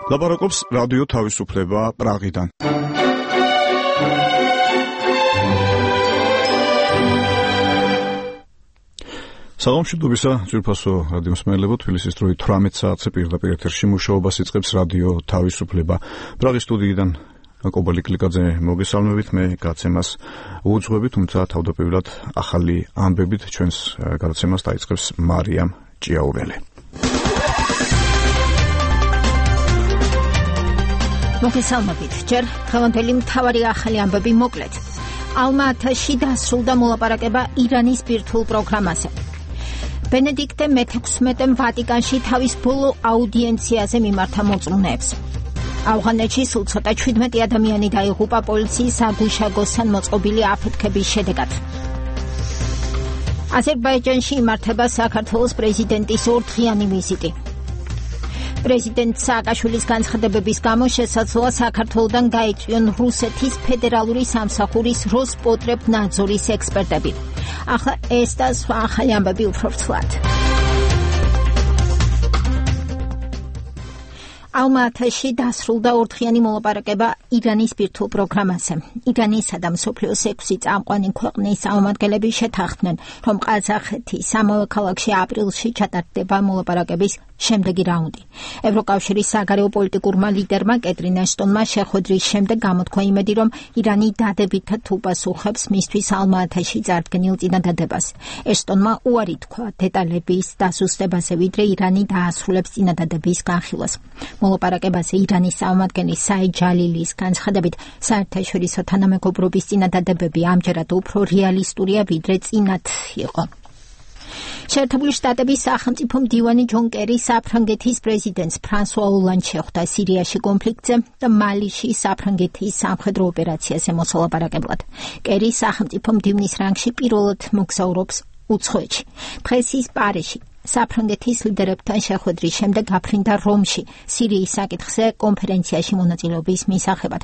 ლაპარაკობს რადიო თავისუფლება პრაღიდან. საღამოშიდობისა ძვირფასო რადიო მსმენელებო, თბილისის დროით 18 საათზე პირდაპირ ეთერში მუშაობას იწყებს რადიო თავისუფლება. პრაღის სტუდიიდან კობალი კლიკაძე მოგესალმებით, მე გადაცემას უძღვები, თუმცა თავდაპირველად ახალი ამბებით ჩვენს გადაცემას დაიწყებს მარიამ ჭიაურელი. მოგესალმებით, ჯერ დღევანდელი მთავარი ახალი ამბები მოკლედ. ალმა-ათაში დასრულდა მოლაპარაკება ირანის ბირთვულ პროგრამაზე. ბენედიქტე მე-16-მ ვატიკანში თავის ბოლო აუდიენციაზე მიმართა მოწმუნეებს. ავღანეთში სულ ცოტა 17 ადამიანი დაიღუპა პოლიციის საგუშაგოსთან მოწყობილი აფეთქების შედეგად. აზერბაიჯანში იმართება საქართველოს პრეზიდენტის ორდღიანი ვიზიტი. პრეზიდენტ სააკაშვილის განცხადებების გამო შესაძლოა საქართველოდან გაიწვიონ რუსეთის ფედერალური სამსახურის როსპოტრებნაძორის ექსპერტები. ახლა ეს და სხვა ახალი ამბები უფრო ფრთლად. ალმა-ათაში დასრულდა ორდღიანი მოლაპარაკება ირანის ბირთვულ პროგრამაზე. ირანისა და მსოფლიოს 6 წამყვანი ქვეყნის წარმომადგენლები შეთანხმდნენ, რომ ყაზახეთის ამავე ქალაქში აპრილში ჩატარდება მოლაპარაკების შემდეგი რაუნდი. ევროკავშირის საგარეო პოლიტიკურმა ლიდერმა კეტრინ აშტონმა შეხვედრის შემდეგ გამოთქვა იმედი, რომ ირანი დადებითად უპასუხებს მისთვის ალმა-ათაში წარდგენილ წინადადებას. აშტონმა უარი თქვა დეტალების დასუსტებაზე, ვიდრე ირანი დაასრულებს წინადადების განხილვას. მოლაპარაკებაზე ირანის წარმომადგენლის საიდ ჯალილის განცხადებით, საერთაშორისო თანამეგობრობის წინადადებები ამჯერად უფრო რეალისტურია, ვიდრე წინათ იყო. შეერთებული შტატების სახელმწიფო მდივანი ჯონ კერი საფრანგეთის პრეზიდენტს ფრანსუა ოლანდს შეხვდა სირიაში კონფლიქტზე და მალიში საფრანგეთის სამხედრო ოპერაციაზე მოსალაპარაკებლად. კერი სახელმწიფო მდივნის რანგში პირველად მოგზაურობს უცხოეთში. დღეს ის პარიზში საფრანგეთის ლიდერებთან შეხვედრის შემდეგ გაფრინდა რომში სირიის საკითხზე კონფერენციაში მონაწილეობის მისაღებად.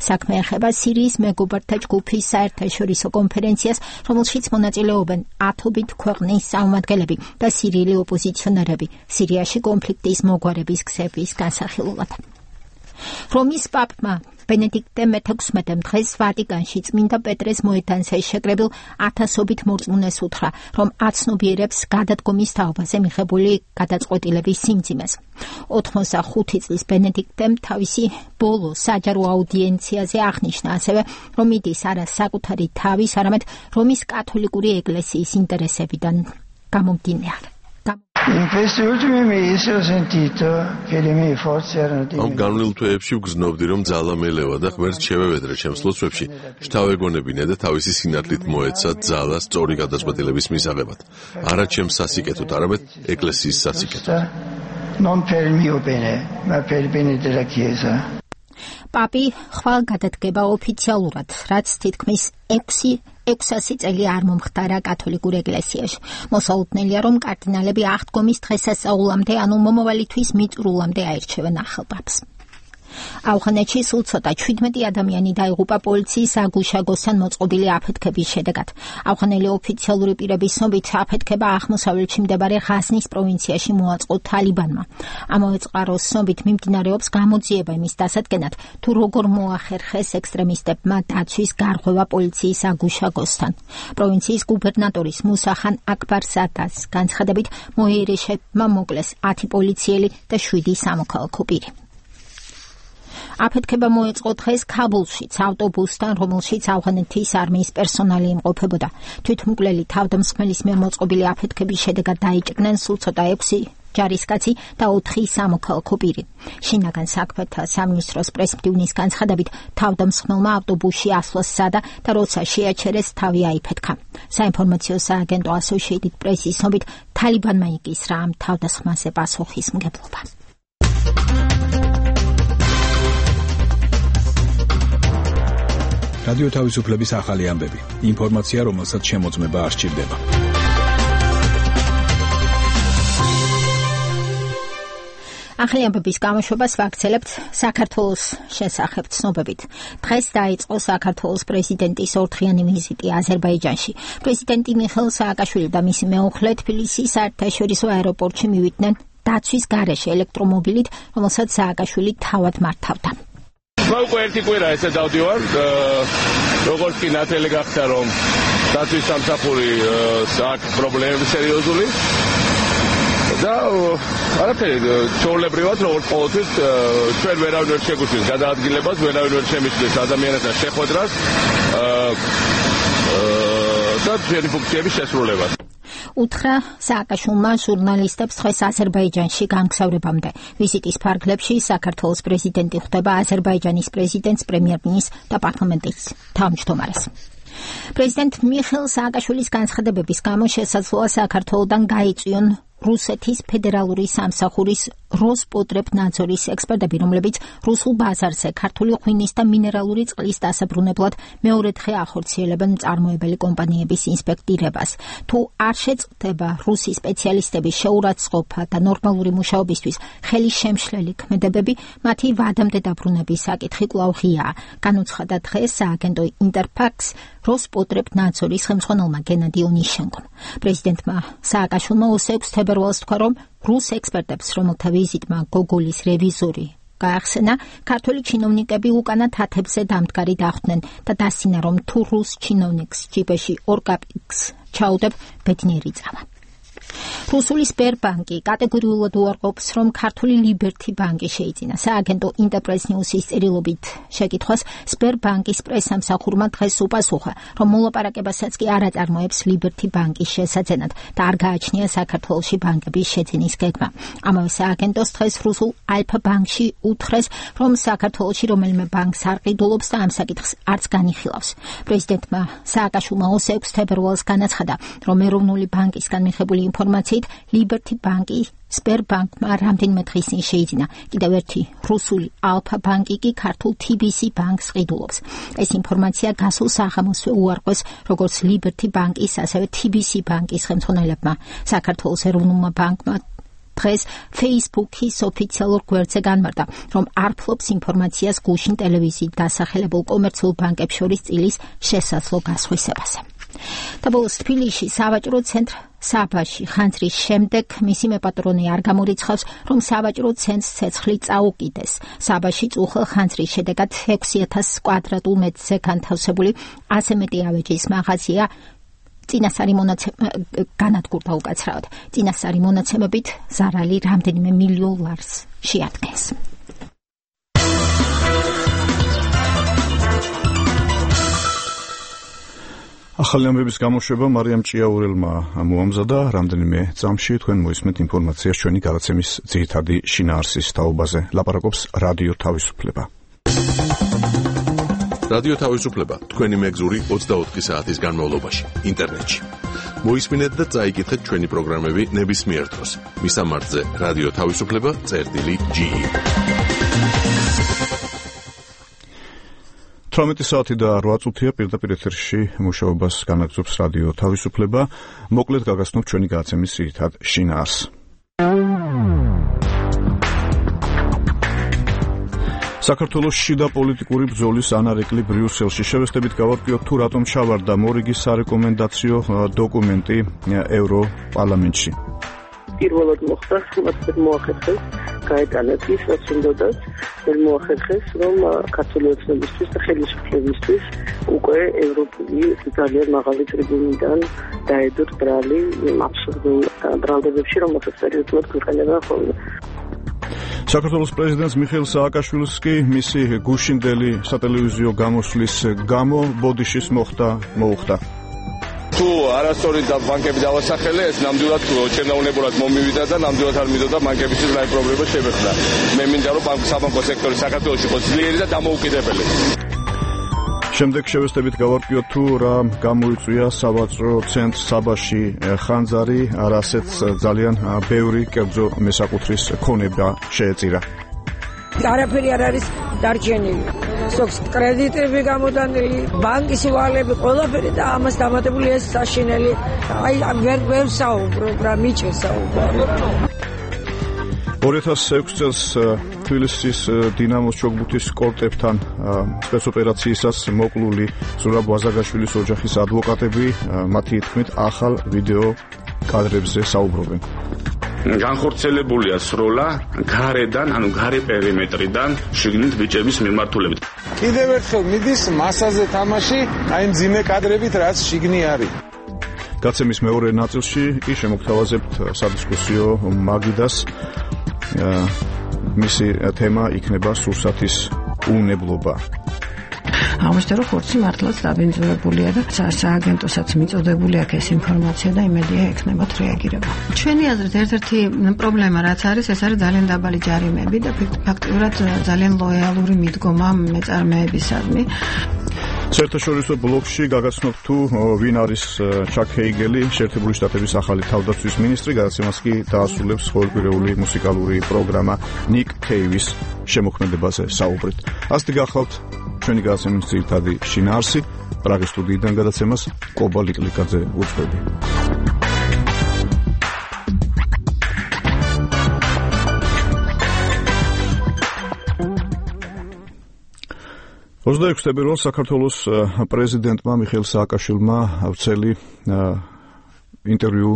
საქმე ეხება სირიის მეგობართა ჯგუფის საერთაშორისო კონფერენციას, რომელშიც მონაწილეობენ 10 ქვეყნის წარმომადგენლები და სირიელი ოპოზიციონერები სირიაში კონფლიქტის მოგვარების გზების განსახილველად. რომის პაპმა ბენედიქტე მე-16-მ დღეს ვატიკანში წმინდა პეტრეს მოედანზე შეკრებილ ათასობით მორწმუნეს უთხრა, რომ აცნობიერებს გადადგომის თაობაზე მიღებული გადაწყვეტილების სიმძიმეს. 85 წლის ბენედიქტემ თავისი ბოლო საჯარო აუდიენციაზე აღნიშნა ასევე, რომ იდის არა საკუთარი თავის, არამედ რომის კათოლიკური ეკლესიის ინტერესებიდან გამომდინარე. ამ განვლილ თვეებში ვგრძნობდი, რომ ძალა მელევა და ღმერთს შევევედრე ჩემს ლოცვებში, შთავეგონებინე და თავისი სინათლით მოეცა ძალა სწორი გადაწყვეტილების მისაღებად. არა ჩემს სასიკეთოდ, არამედ ეკლესიის სასიკეთოდ. პაპი ხვალ გადადგება ოფიციალურად, რაც თითქმის 600 წელი არ მომხდარა კათოლიკურ ეკლესიაში. მოსალოდნელია, რომ კარდინალები აღდგომის დღესასწაულამდე, ანუ მომავალი თვის მიწურულამდე აირჩევენ ახალ პაპს. ავღანეთში სულ ცოტა 17 ადამიანი დაიღუპა პოლიციის საგუშაგოსთან მოწყობილი აფეთქების შედეგად. ავღანელი ოფიციალური პირების ცნობით აფეთქება აღმოსავლეთში მდებარე ღაზნის პროვინციაში მოაწყო თალიბანმა. ამავე წყაროს ცნობით მიმდინარეობს გამოძიება იმის დასადგენად, თუ როგორ მოახერხეს ექსტრემისტებმა დაცვის გარღვევა პოლიციის საგუშაგოსთან. პროვინციის გუბერნატორის მუსახან აკბარზადას განცხადებით, მოიერიშებმა მოკლეს 10 პოლიციელი და 7 სამოქალაქო პირი. აფეთქება მოეწყო დღეს ქაბულშიც ავტობუსთან, რომელშიც ავღანეთის არმიის პერსონალი იმყოფებოდა. თვითმკვლელი თავდამსხმელის მიერ მოწყობილი აფეთქების შედეგად დაიჭრნენ სულ ცოტა 6 ჯარისკაცი და 4 სამოქალაქო პირი. შინაგან საქმეთა სამინისტროს პრესმდივნის განცხადებით, თავდამსხმელმა ავტობუსში ასვლა სცადა და როცა შეაჩერეს, თავი აიფეთქა. საინფორმაციო სააგენტო Associated Press-ის ცნობით, თალიბანმა იკისრა ამ თავდასხმაზე პასუხისმგებლობა. რადიო თავისუფლების ახალი ამბები. ინფორმაცია, რომელსაც შემოწმება არ სჭირდება. ახალი ამბების გამოშვებას ვაგრძელებთ საქართველოს შესახებ ცნობებით. დღეს დაიწყო საქართველოს პრეზიდენტის ორდღიანი ვიზიტი აზერბაიჯანში. პრეზიდენტი მიხეილ სააკაშვილი და მისი მეუღლე თბილისის საერთაშორისო აეროპორტში მივიდნენ დაცვის გარეშე ელექტრომობილით, რომელსაც სააკაშვილი თავად მართავდა. უკვე ერთი კვირა ესე დავდივარ, როგორც კი ნათელი გახდა, რომ დაცვის სამსახური აქვს პრობლემები სერიოზული და არაფერი, ჩვეულებრივად როგორც ყოველთვის ჩვენ ვერავინ ვერ შეგვიძლია გადაადგილებას, ვერავინ ვერ შემიძლია ადამიანებთან შეხვედრას და ჩვენი ფუნქციების შესრულებას. უთხრა სააკაშვილმა ჟურნალისტებს დღეს აზერბაიჯანში გამგზავრებამდე. ვიზიტის ფარგლებში საქართველოს პრეზიდენტი ხვდება აზერბაიჯანის პრეზიდენტს, პრემიერ-მინისტრს და პარლამენტის თავმჯდომარეს. პრეზიდენტ მიხეილ სააკაშვილის განცხადებების გამო შესაძლოა საქართველოდან გაიწვიონ რუსეთის ფედერალური სამსახურის როსპოტრებნაძორის ექსპერტები, რომლებიც რუსულ ბაზარზე ქართული ღვინის და მინერალური წყლის დასაბრუნებლად მეორე დღე ახორციელებენ მწარმოებელი კომპანიების ინსპექტირებას. თუ არ შეწყდება რუსი სპეციალისტების შეურაცხყოფა და ნორმალური მუშაობისთვის ხელის შემშლელი ქმედებები, მათი ვადამდე დაბრუნების საკითხი კვლავ ღიაა. განუცხადა დღეს სააგენტო ინტერფაქს როსპოტრებნაძორის ხელმძღვანელმა გენადი ონიშენკომ. პრეზიდენტმა სააკაშვილმა 26 თებერვალს თქვა, რომ რუს ექსპერტებს, რომელთა ვიზიტმა გოგოლის რევიზორი გაახსენა, ქართული ჩინოვნიკები უკანა თათებზე დამდგარი დახვდნენ და დასცინა, რომ თუ რუს ჩინოვნიკს ჯიბეში 2 კაპიკს ჩაუდებ, ბედნიერი წავა. რუსული სპერბანკი კატეგორიულად უარყოფს, რომ ქართული ლიბერთი ბანკი შეიძინა. სააგენტო ინტერპრეს ნიუსის წერილობით შეკითხვას სპერბანკის პრესამსახურმა დღეს უპასუხა, რომ მოლაპარაკებასაც კი არ აწარმოებს ლიბერთი ბანკის შესაძენად და არ გააჩნია საქართველოში ბანკების შეძენის გეგმა. ამავე სააგენტოს დღეს რუსულ ალფა ბანკში უთხრეს, რომ საქართველოში რომელიმე ბანკს არ ყიდულობს და ამ საკითხს არც განიხილავს. პრეზიდენტმა სააკაშვილმა 26 თებერვალს განაცხადა, რომ ეროვნული ბანკისგან მიღებული ინფორმაციით ლიბერთი ბანკი სპერბანკმა რამდენიმე დღის წინ შეიძინა. კიდევ ერთი რუსული ალფა ბანკი კი ქართულ TBC ბანკს ყიდულობს. ეს ინფორმაცია გასულ საღამოსვე უარყვეს როგორც ლიბერთი ბანკის, ასევე TBC ბანკის ხელმძღვანელებმა. საქართველოს ეროვნულმა ბანკმა დღეს Facebook-ის ოფიციალურ გვერდზე განმარტა, რომ არ ფლობს ინფორმაციას გუშინ ტელევიზიით დასახელებულ კომერციულ ბანკებს შორის წილის შესაძლო გასხვისებაზე. და ბოლოს თბილისში სავაჭრო ცენტრ საბაში ხანძრის შემდეგ მისი მეპატრონი არ გამორიცხავს, რომ სავაჭრო ცენტრს ცეცხლი წაუკიდეს. საბაში წუხელ ხანძრის შედეგად 6000 კვადრატულ მეტრზე განთავსებული 100 მეტი ავეჯის მაღაზია განადგურდა უკაცრავად. წინასწარი მონაცემებით ზარალი რამდენიმე მილიონ ლარს შეადგენს. ახალი ამბების გამოშვება მარიამ ჭიაურელმა მოამზადა. რამდენიმე წამში თქვენ მოისმენთ ინფორმაციას ჩვენი გადაცემის ძირითადი შინაარსის თაობაზე. ლაპარაკობს რადიო თავისუფლება. რადიო თავისუფლება თქვენი მეგზური 24 საათის განმავლობაში ინტერნეტში. მოისმინეთ და წაიკითხეთ ჩვენი პროგრამები ნებისმიერ დროს. მისამართზე რადიო თავისუფლება.ge 18 საათი და 8 წუთია პირდაპირ ეთერში მუშაობას განაგრძობს რადიო თავისუფლება. მოკლედ გაგაცნობთ ჩვენი გადაცემის ძირითად შინაარსს. საქართველოს შიდა პოლიტიკური ბრძოლის ანარეკლი ბრიუსელში. შევესწრებით გავარკვიოთ თუ რატომ ჩავარდა მორიგის სარეკომენდაციო დოკუმენტი ევროპარლამენტში. პირველად მოხდა, მაგრამ მოახერხეს გაეტანათ ის, რაც უნდათ, მოახერხეს, რომ ქართული ოცნებისთვის და ხელისუფლებისთვის უკვე ევროპული ძალიან მაღალი ტრიბუნიდან დაედოთ ბრალი აბსურდულ ბრალდებებში, რომელსაც სერიოზულად გვიყენებდა ხოლმე. საქართველოს პრეზიდენტს მიხეილ სააკაშვილს კი მისი გუშინდელი სატელევიზიო გამოსვლის გამო ბოდიშის მოუხდა. თუ არასწორი და ბანკები დავასახელე, ეს ნამდვილად ჩემნაუნებურად მომივიდა და ნამდვილად არ მიდოდა ბანკებისთვის რაიმე პრობლემა შემეხდა. მე მინდა რომ საბანკო სექტორი საქართველოში იყოს ძლიერი და დამოუკიდებელი. შემდეგ შევესწრებით გავარკვიოთ თუ რა გამოიწვია სავაჭრო ცენტრ საბაში ხანძარი, არასეთ ძალიან ბევრი კერძო მესაკუთრის ქონება შეეწირა. არაფერი არ არის დარჩენილი. სოქს კრედიტები გამოდანილი, ბანკის ვალები, ყველაფერი და ამას დამატებული ეს საშინელი. ვერ საუბრობ რა მიჭე საუბარი. 2006 წელს თბილისის დინამოს ჩოგბურთის კორტებთან სპეცოპერაციისას მოკლული ზურაბ ვაზაგაშვილის ოჯახის ადვოკატები მათი თქმით ახალ ვიდეო კადრებზე საუბრობენ. განხორციელებულია სროლა გარედან, ანუ გარე პერიმეტრიდან შიგნით ბიჭების მიმართულებით. კიდევ ერთხელ მიდის მასაზე თამაში, აი მძიმე კადრებით, რაც შიგნი არის. გაცემის მეორე ნაწილში კი შემოგთავაზებთ სადისკუსიო მაგიდას. მისი თემა იქნება სურსათის უნებლობა. აღმოჩნდა, რომ ხორცი მართლაც დაბინძურებულია და სააგენტოსაც მიწოდებული აქვს ეს ინფორმაცია და იმედია ექნებათ რეაგირება. ჩვენი აზრით ერთ-ერთი პრობლემა რაც არის, ეს არის ძალიან დაბალი ჯარიმები და ფაქტიურად ძალიან ლოიალური მიდგომა მეწარმეებისადმი. საერთაშორისო ბლოკში გაგაცნობთ თუ ვინ არის ჩაკ ჰეიგელი, შეერთებული შტატების ახალი თავდაცვის მინისტრი, გადაცემას კი დაასრულებს ყოველკვირეული მუსიკალური პროგრამა ნიკ კეივის შემოქმედებაზე საუბრით. ასეთი გახლავთ ჩვენი გადაცემის ძირითადი შინაარსი. პრაღის სტუდიიდან გადაცემას კობა ლიკლიკაძე უძღვები. 26 თებერვალს საქართველოს პრეზიდენტმა მიხეილ სააკაშვილმა ვრცელი ინტერვიუ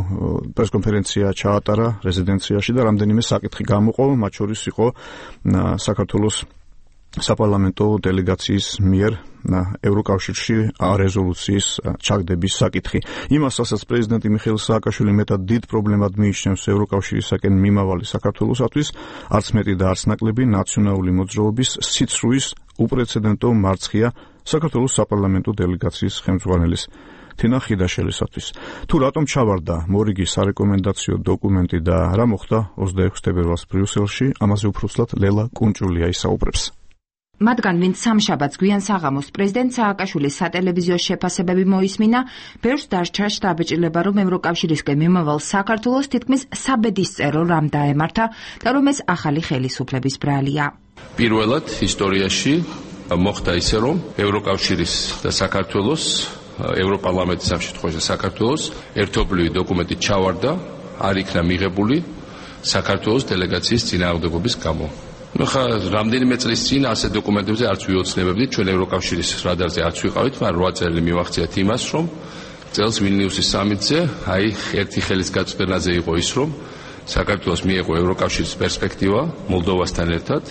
პრესკონფერენცია ჩაატარა რეზიდენციაში და რამდენიმე საკითხი გამოყო, მათ შორის იყო საქართველოს საპარლამენტო დელეგაციის მიერ ევროკავშირში რეზოლუციის ჩაგდების საკითხი. იმას, რასაც პრეზიდენტი მიხეილ სააკაშვილი მეტად დიდ პრობლემად მიიჩნევს ევროკავშირისაკენ მიმავალი საქართველოსათვის, არც მეტი და არც ნაკლები ნაციონალური მოძრაობის სიცრუის უპრეცედენტო მარცხია საქართველოს საპარლამენტო დელეგაციის ხელმძღვანელის თინა ხიდაშელისათვის. თუ რატომ ჩავარდა მორიგი სარეკომენდაციო დოკუმენტი და რა მოხდა 26 თებერვალს ბრიუსელში, ამაზე უფრო ცუდად ლელა კუნჭულია ისაუბრებს. მათგან ვინც სამშაბათს გვიან საღამოს პრეზიდენტ სააკაშვილის სატელევიზიო შეფასებები მოისმინა, ბევრს დასჭა შთაბეჭდილება, რომ ევროკავშირისკენ მიმავალ საქართველოს თითქმის საბედისწერო რამ დაემართა და რომ ეს ახალი ხელისუფლების ბრალია. პირველად ისტორიაში მოხდა ისე, რომ ევროკავშირის და საქართველოს, ევროპარლამენტის ამ შემთხვევაში საქართველოს ერთობლივი დოკუმენტი ჩავარდა, არ იქნა მიღებული საქართველოს დელეგაციის წინააღმდეგობის გამო. ხა რამდენიმე წლის წინ ასეთ დოკუმენტებზე არც ვიოცნებებდით, ჩვენ ევროკავშირის რადარზე არც ვიყავით, მაგრამ 8 წელი მივახციათ იმას, რომ წელს ვილნიუსის სამიტზე, აი ერთი ხელის გაწვდენაზე იყო ის, რომ საქართველოს მიეღო ევროკავშირის პერსპექტივა მოლდოვასთან ერთად.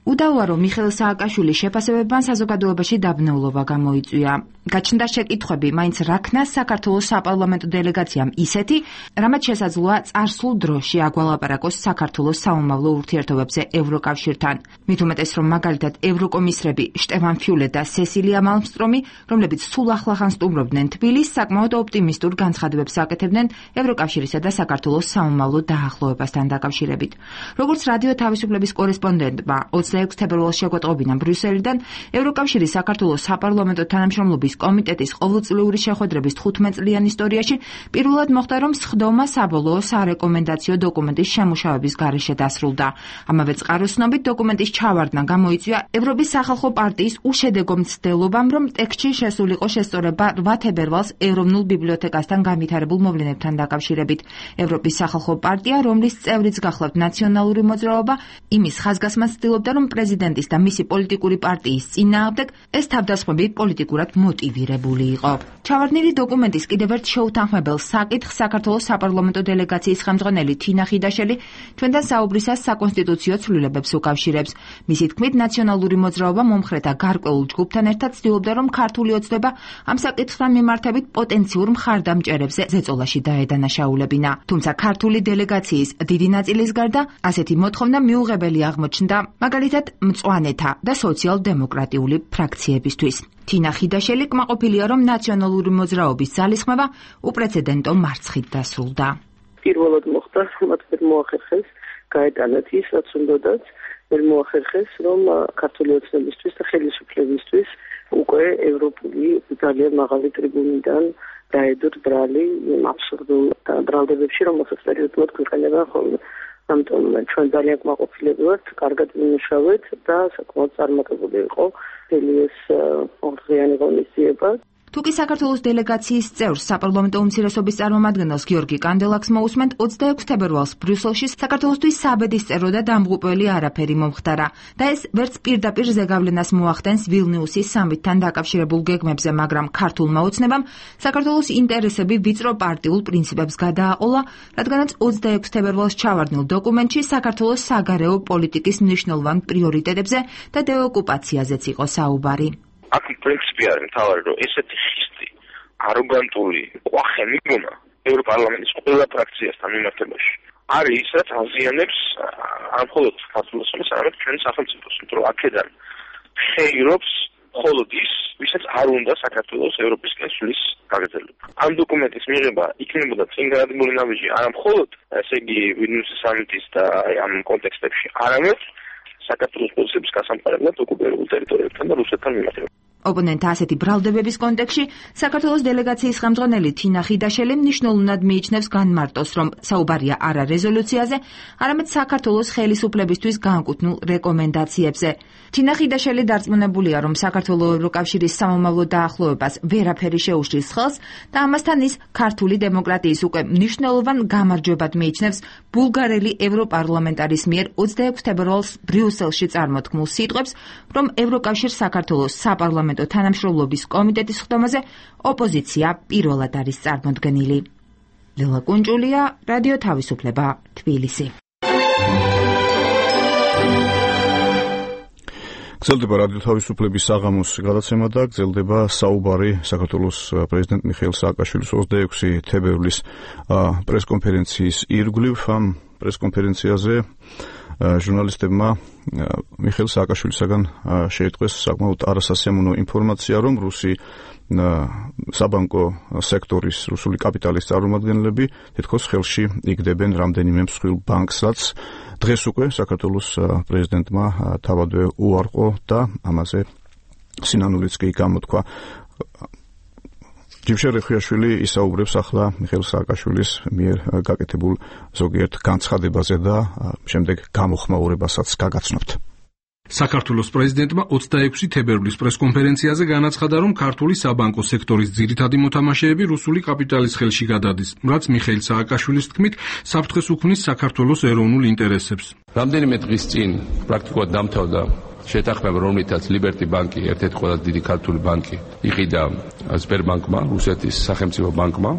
უდავოა, რომ მიხეილ სააკაშვილის შეფასებებმა საზოგადოებაში დაბნეულობა გამოიწვია. გაჩნდა შეკითხვები, მაინც რა ქნას საქართველოს საპარლამენტო დელეგაციამ ისეთი, რამაც შესაძლოა წარსულ დროში აგვალაპარაკოს საქართველოს საომავლო ურთიერთობებზე ევროკავშირთან. მით უმეტეს, რომ მაგალითად ევროკომისრები შტეფან ფიულე და სესილია მალმსტრომი, რომლებიც სულ ახლახან სტუმრობდნენ თბილისს, საკმაოდ ოპტიმისტურ განცხადებებს აკეთებდნენ ევროკავშირისა და საქართველოს საომავლო დაახლოებასთან დაკავშირებით. როგორც რადიო თავისუფლების კორესპონდენტმა 26 თებერვალს შეგვეტყობინა ბრიუსელიდან, ევროკავშირის საქართველოს საპარლამენტო თანამშრომლობის კომიტეტის ყოველწლიური შეხვედრების 15 წლიან ისტორიაში პირველად მოხდა, რომ სხდომა საბოლოო სარეკომენდაციო დოკუმენტის შემუშავების გარეშე დასრულდა. ამავე წყაროს ცნობით დოკუმენტის ჩავარდნა გამოიწვია ევროპის სახალხო პარტიის უშედეგო მცდელობამ, რომ ტექსტში შესულიყო შესწორება 8 თებერვალს ეროვნულ ბიბლიოთეკასთან განვითარებულ მოვლენებთან დაკავშირებით. ევროპის სახალხო პარტია, რომლის წევრიც გახლავთ ნაციონალური მოძრაობა, იმის ხაზგასმას ცდილობდა, რომ პრეზიდენტის და მისი პოლიტიკური პარტიის წინააღმდეგ ეს თავდასხმები პოლიტიკურად მოტივირებული იყო. ჩავარდნილი დოკუმენტის კიდევ ერთ შეუთანხმებელ საკითხს საქართველოს საპარლამენტო დელეგაციის ხელმძღვანელი თინა ხიდაშელი ჩვენთან საუბრისას საკონსტიტუციო ცვლილებებს უკავშირებს. მისი თქმით, ნაციონალური მოძრაობა მომხრეთა გარკვეულ ჯგუფთან ერთად ცდილობდა, რომ ქართული ოცნება ამ საკითხთან მიმართებით პოტენციურ მხარდამჭერებზე ზეწოლაში დაედანაშაულებინა. თუმცა ქართული დელეგაციის დიდი ნაწილის გარდა ასეთი მოთხოვნა მიუღებელი აღმოჩნდა, მაგალითად მწვანეთა და სოციალ-დემოკრატიული ფრაქციებისთვის. თინა ხიდაშელი კმაყოფილია, რომ ნაციონალური მოძრაობის ძალისხმევა უპრეცედენტო მარცხით დასრულდა. პირველად მოხდა, მათ ვერ მოახერხეს გაეტანათ ის, რაც უნდათ, ვერ მოახერხეს, რომ ქართული ოცნებისთვის და ხელისუფლებისთვის უკვე ევროპული ძალიან მაღალი ტრიბუნიდან დაედოთ ბრალი იმ აბსურდულ ბრალდებებში, რომელსაც პერიოდულად გვიყენება ხოლმე. ამიტომ ჩვენ ძალიან კმაყოფილები ვართ, კარგად ვიმუშავეთ და საკმაოდ წარმატებული იყო ეს ორდღიანი ღონისძიება. თუკი საქართველოს დელეგაციის წევრს საპარლამენტო უმცირესობის წარმომადგენელს გიორგი კანდელაკს მოусმენთ 26 თებერვალს ბრიუსელში საქართველოსთვის საბედისწერო და დამღუპველი არაფერი მომხდარა და ეს ვერც პირდაპირ ზეგავლენას მოახდენს ვილნიუსის სამიტთან დაკავშირებულ გეგმებზე, მაგრამ ქართულმა ოცნებამ საქართველოს ინტერესები ვიწრო პარტიულ პრინციპებს გადააყოლა, რადგანაც 26 თებერვალს ჩავარდნილ დოკუმენტში საქართველოს საგარეო პოლიტიკის მნიშვნელოვან პრიორიტეტებზე და დეოკუპაციაზეც იყო საუბარი. აქ პრინციპი არის მთავარი, რომ ესეთი ხისტი, აროგანტული ყვახე მიგონა ევროპარლამენტის ყველა ფრაქციასთან მიმართებაში არის ის, რაც აზიანებს არ მხოლოდ საქართველოს, არამედ ჩვენ სახელმწიფოს, იმიტომ რომ აქედან ხეირობს მხოლოდ ის, ვისაც არ უნდა საქართველოს ევროპისკენ სulis გაგრძელება. ამ დოკუმენტის მიღება იქნებოდა წინ გადადგმული ნაბიჯი არა მხოლოდ, ესე იგი, ვილნიუსის სამიტის და ამ კონტექსტებში, არამედ საქართველოს პოზიციების გასამყარებლად ოკუპირებულ ტერიტორიებთან და რუსეთთან მიმართებაში. ოპონენტთა ასეთი ბრალდებების კონტექსტში საქართველოს დელეგაციის ხელმძღვანელი თინა ხიდაშელი მნიშვნელოვნად მიიჩნევს განმარტოს, რომ საუბარია არა რეზოლუციაზე, არამედ საქართველოს ხელისუფლებისთვის განკუთვნილ რეკომენდაციებზე. თინა ხიდაშელი დარწმუნებულია, რომ საქართველოს ევროკავშირის სამომავლო დაახლოებას ვერაფერი შეუშლის ხელს და ამასთან ის ქართული დემოკრატიის უკვე მნიშვნელოვან გამარჯვებად მიიჩნევს ბულგარელი ევროპარლამენტარის მიერ 26 თებერვალს ბრიუსელში წარმოთქმულ სიტყვებს, რომ ევროკავშირს საქართველოს საპარლამენტო თანამშრომლობის კომიტეტის ხდომაზე ოპოზიცია პირველად არის წარმოდგენილი. ლელა კუნჭულია, რადიო თავისუფლება, თბილისი. გრძელდება რადიო თავისუფლების საღამოს გადაცემა და გრძელდება საუბარი საქართველოს პრეზიდენტ მიხეილ სააკაშვილის 26 თებერვლის პრესკონფერენციის ირგვლივ. ამ პრესკონფერენციაზე ჟურნალისტებმა მიხეილ სააკაშვილისაგან შეიტყვეს საკმაოდ არასასიამოვნო ინფორმაცია, რომ რუსი საბანკო სექტორის რუსული კაპიტალის წარმომადგენლები თითქოს ხელში იგდებენ რამდენიმე მსხვილ ბანკს, რაც დღეს უკვე საქართველოს პრეზიდენტმა თავადვე უარყო და ამაზე სინანულიც კი გამოთქვა. ჯიმშელ რეხიაშვილი ისაუბრებს ახლა მიხეილ სააკაშვილის მიერ გაკეთებულ ზოგიერთ განცხადებაზე და შემდეგ გამოხმაურებასაც გაგაცნობთ. საქართველოს პრეზიდენტმა 26 თებერვლის პრესკონფერენციაზე განაცხადა, რომ ქართული საბანკო სექტორის ძირითადი მოთამაშეები რუსული კაპიტალის ხელში გადადის, რაც მიხეილ სააკაშვილის თქმით საფრთხეს უქმნის საქართველოს ეროვნულ ინტერესებს. რამდენიმე დღის წინ პრაქტიკულად დამთავრდა შეთანხმება, რომლითაც ლიბერტი ბანკი, ერთ-ერთი ყველაზე დიდი ქართული ბანკი, იყიდა სბერბანკმა, რუსეთის სახელმწიფო ბანკმა.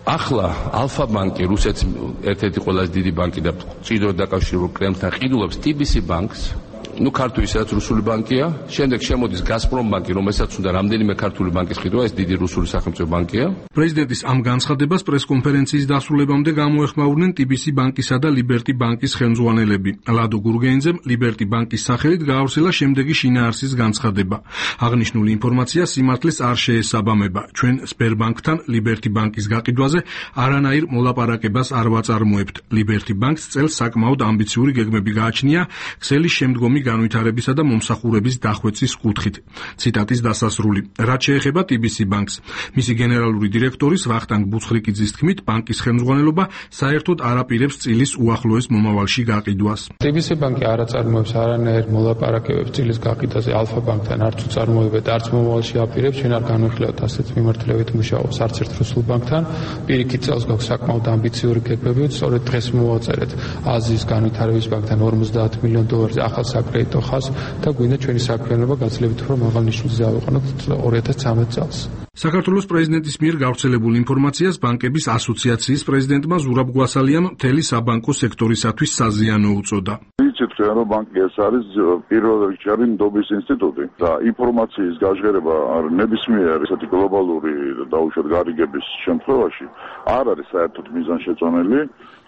ახლა ალფა ბანკი, რუსეთის ერთ-ერთი ყველაზე დიდი ბანკი და მჭიდროდ დაკავშირებულ კრემლთან ყიდულობს TBC ბანკს. ქართული სადაც რუსული ბანკია, შემდეგ შემოდის გაზპრომ ბანკი, რომელსაც უნდა რამდენიმე ქართული ბანკის ყიდვა, ეს დიდი რუსული სახელმწიფო ბანკია. პრეზიდენტის ამ განცხადებას პრესკონფერენციის დასრულებამდე გამოეხმაურნენ TBC ბანკისა და ლიბერტი ბანკის ხელმძღვანელები. ლადო გურგენიძემ ლიბერტი ბანკის სახელით გაავრცელა შემდეგი შინაარსის განცხადება. აღნიშნული ინფორმაცია სიმართლეს არ შეესაბამება. ჩვენ სბერბანკთან ლიბერტი ბანკის გაყიდვაზე არანაირ მოლაპარაკებას არ ვაწარმოებთ. ლიბერტი ბანკს წელს საკმაოდ ამბიციური გეგმები გააჩნია ქსელის შემდგომი განვითარებისა და მომსახურების დახვეწის კუთხით. ციტატის დასასრული. რაც შეეხება TBC ბანკს, მისი გენერალური დირექტორის ვახტანგ ბუცხრიკიძის თქმით, ბანკის ხელმძღვანელობა საერთოდ არ აპირებს წილის უახლოეს მომავალში გაყიდვას. TBC ბანკი არ აწარმოებს არანაირ მოლაპარაკებებს წილის გაყიდვაზე ალფა ბანკთან, არც უწარმოებდა, არც მომავალში აპირებს. ჩვენ არ განვიხილავთ ასეთ მიმართულებით მუშაობს არც ერთ რუსულ ბანკთან. პირიქით წელს გვაქვს საკმაოდ ამბიციური გეგმები, სწორედ დღეს მოვაწერეთ აზიის განვითარების ბანკთან $50 მილიონ ახალ საკრედიტო ხაზს და გვინდა ჩვენი საქმიანობა გაცილებით უფრო მაღალ ნიშნულზე ავიყანოთ 2013 წელს. საქართველოს პრეზიდენტის მიერ გავრცელებულ ინფორმაციას ბანკების ასოციაციის პრეზიდენტმა ზურაბ გვასალიამ მთელი საბანკო სექტორისათვის საზიანო უწოდა. იცით, რომ ბანკი ეს არის პირველ რიგში ნდობის ინსტიტუტი და ინფორმაციის გაჟღერება ნებისმიერ ესეთი გლობალური დაუშვათ გარიგების შემთხვევაში არ არის საერთოდ მიზანშეწონილი,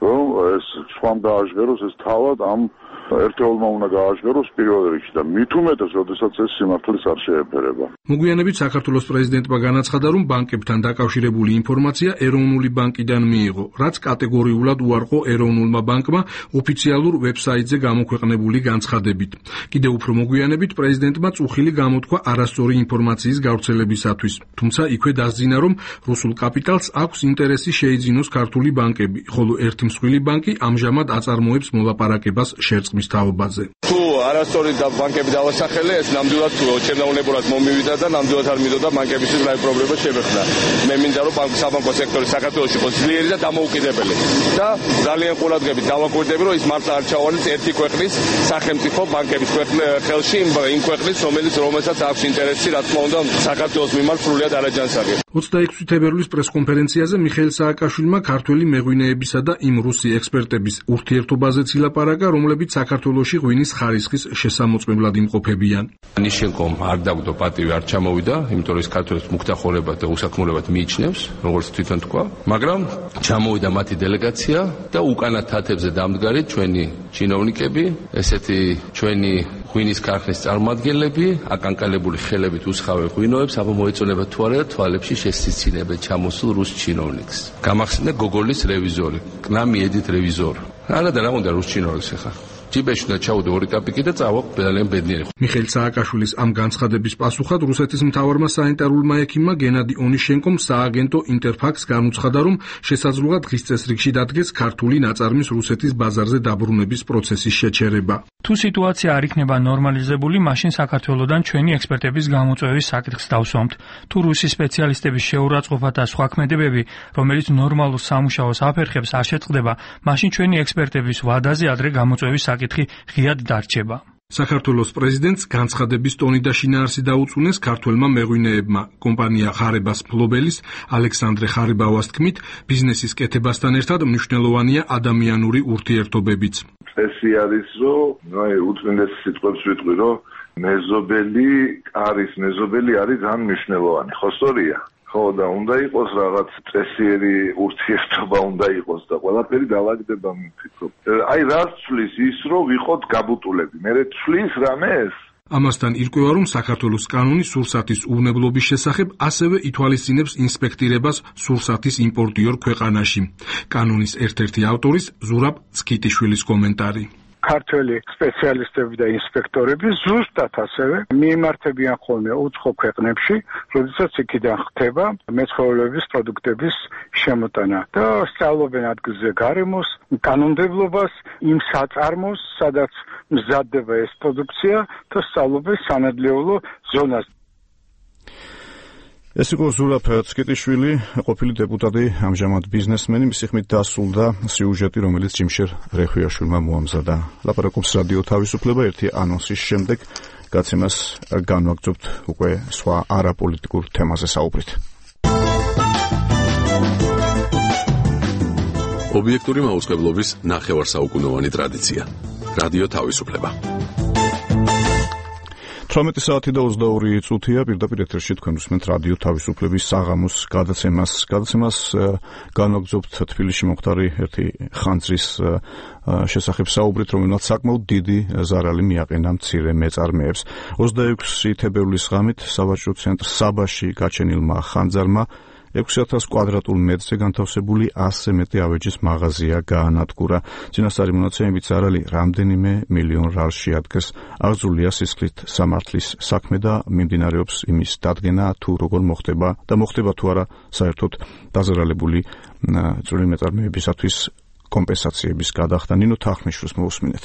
რომ ეს სხვამ გააჟღეროს, ეს თავად ამ ერთეულმა უნდა გააჟღეროს პირველ რიგში და მით უმეტეს, როდესაც ეს სიმართლეს არ შეეფერება. მოგვიანებით საქართველოს პრეზიდენტმა განაცხადა, რომ ბანკებთან დაკავშირებული ინფორმაცია ეროვნული ბანკიდან მიიღო, რაც კატეგორიულად უარყო ეროვნულმა ბანკმა ოფიციალურ ვებსაიტზე გამოქვეყნებული განცხადებით. კიდევ უფრო მოგვიანებით პრეზიდენტმა წუხილი გამოთქვა არასწორი ინფორმაციის გავრცელებისათვის, თუმცა იქვე დასძინა, რომ რუსულ კაპიტალს აქვს ინტერესი შეიძინოს ქართული ბანკები, ხოლო ერთი მსხვილი ბანკი ამჟამად აწარმოებს მოლაპარაკებას შერწყმის თაობაზე. თუ არასწორი ბანკები დავასახელე, ეს ნამდვილად ჩემდაუნებურად მომივიდა და ნამდვილად არ მინდოდა ბანკებისთვის რაიმე პრობლემა შემეხნა. მე მინდა რომ საბანკო სექტორი საქართველოში იყოს ძლიერი და დამოუკიდებელი და ძალიან ყურადღებით დავაკვირდები რომ ის მართლა არ ჩავალეს ერთი ქვეყნის სახელმწიფო ბანკების ხელში იმ ქვეყნის რომელსაც აქვს ინტერესი რა თქმა უნდა საქართველოს მიმართ სრულად არაჯანსაღი. 26 თებერვლის პრესკონფერენციაზე მიხეილ სააკაშვილმა ქართველი მეღვინეებისა და იმ რუსი ექსპერტების ურთიერთობაზეც ილაპარაკა, რომლებიც საქართველოში ღვინის ხარისხის შესამოწმებლად იმყოფებიან. ნიშენკომ არ დაგვდო პატივი არ ჩამოვიდა, იმიტომ რომ ის ქართველებს მუქთახურებად და უსაქმურებად მიიჩნევს, როგორც თვითონ თქვა, მაგრამ ჩამოვიდა მათი დელეგაცია და უკანა თათებზე დამდგარი ჩვენი ჩინოვნიკები, ესეთი ჩვენი ღვინის ქარხნის წარმომადგენლები, აკანკალებული ხელებით უსხავენ ღვინოებს, აბა მოეწონება თუ არა თვალებში შესიცინებენ ჩამოსულ რუს ჩინოვნიკს. გამახსენდა გოგოლის რევიზორი, კნამი ედით რევიზორი. არა და რა უნდა რუს ჩინოვნიკს ახლა. ჯიბეში და ჩაუდო 2 კაპიკი და წავა ძალიან ბედნიერი. მიხეილ სააკაშვილის ამ განცხადების პასუხად რუსეთის მთავარმა სანიტარულმა ექიმმა გენადი ონიშენკომ სააგენტო ინტერფაქს განუცხადა, რომ შესაძლოა დღის წესრიგში დადგეს ქართული ნაწარმის რუსეთის ბაზარზე დაბრუნების პროცესის შეჩერება. თუ სიტუაცია არ იქნება ნორმალიზებული, მაშინ საქართველოსდან ჩვენი ექსპერტების გამოწვევის საკითხს დავსვამთ. თუ რუსი სპეციალისტების შეურაცხყოფა და სხვა ქმედებები, რომელიც ნორმალურ სამუშაოს აფერხებს, არ შეწყდება, მაშინ ჩვენი ექსპერტების ვადაზე ადრე გამოწვევის საკითხი ღიად დარჩება. საქართველოს პრეზიდენტს განცხადების ტონი და შინაარსი დაუწუნეს ქართველმა მეღვინეებმა. კომპანია ხარებას ფლობელის ალექსანდრე ხარიბავას თქმით, ბიზნესის კეთებასთან ერთად მნიშვნელოვანია ადამიანური ურთიერთობებიც. წესი არის, რომ უწმინდეს სიტყვებს ვიტყვი, რომ მეზობელი არის ძალიან მნიშვნელოვანი. ხო სწორია? ხო და უნდა იყოს რაღაც წესიერი ურთიერთობა უნდა იყოს და ყველაფერი დავაგდება მიფიქრობ. აი რას ცვლის ის რომ ვიყოთ გაბუტულები. მე ცვლის რამეს? ამასთან ირკვევა, რომ საქართველოს კანონი სურსათის უვნებლობის შესახებ ასევე ითვალისწინებს ინსპექტირებას სურსათის იმპორტიორ ქვეყანაში. კანონის ერთ-ერთი ავტორის ზურაბ ცქიტიშვილის კომენტარი. ქართველი სპეციალისტები და ინსპექტორები ზუსტად ასევე მიემართებიან ხოლმე უცხო ქვეყნებში, როდესაც იქიდან ხდება მეცხოველეობის პროდუქტების შემოტანა და სწავლობენ ადგილზე გარემოს, კანონმდებლობას, იმ საწარმოს, სადაც მზადდება ეს პროდუქცია და სწავლობენ სანადლეულო ზონას. ეს იყო ზურაბ ცქიტიშვილი, ყოფილი დეპუტატი, ამჟამად ბიზნესმენი, მისი ხმით დასრულდა სიუჟეტი, რომელიც ჯიმშერ რეხვიაშვილმა მოამზადა. ლაპარაკობს რადიო თავისუფლება ერთი ანონსის შემდეგ, გაცემას განვაგრძობთ უკვე სხვა არაპოლიტიკურ თემაზე საუბრით. ობიექტური მაუწყებლობის ნახევარსაუკუნოვანი ტრადიცია. რადიო თავისუფლება. 18 საათი და 22 წუთია პირდაპირ ეთერში თქვენ უსმენთ რადიო თავისუფლების საღამოს გადაცემას. გადაცემას განვაგრძობთ თბილისში მომხდარი ერთი ხანძრის შესახებ საუბრით, რომელმაც საკმაოდ დიდი ზარალი მიაყენა მცირე მეწარმეებს. 26 თებერვლის ღამით სავაჭრო ცენტრ საბაში გაჩენილმა ხანძარმა 6000 კვადრატულ მეტრზე განთავსებული 100-ზე მეტი ავეჯის მაღაზია გაანადგურა. წინასწარი მონაცემებით ზარალი რამდენიმე მილიონ რალს შეადგენს. აღძრულია სისხლით სამართლის საქმე და მიმდინარეობს იმის დადგენა, თუ როგორ მოხდება და მოხდება თუ არა საერთოდ დაზარალებული წვრილი მეწარმეებისათვის კომპენსაციების გადახდა. ნინო თახმიშვილს მოусმინეთ.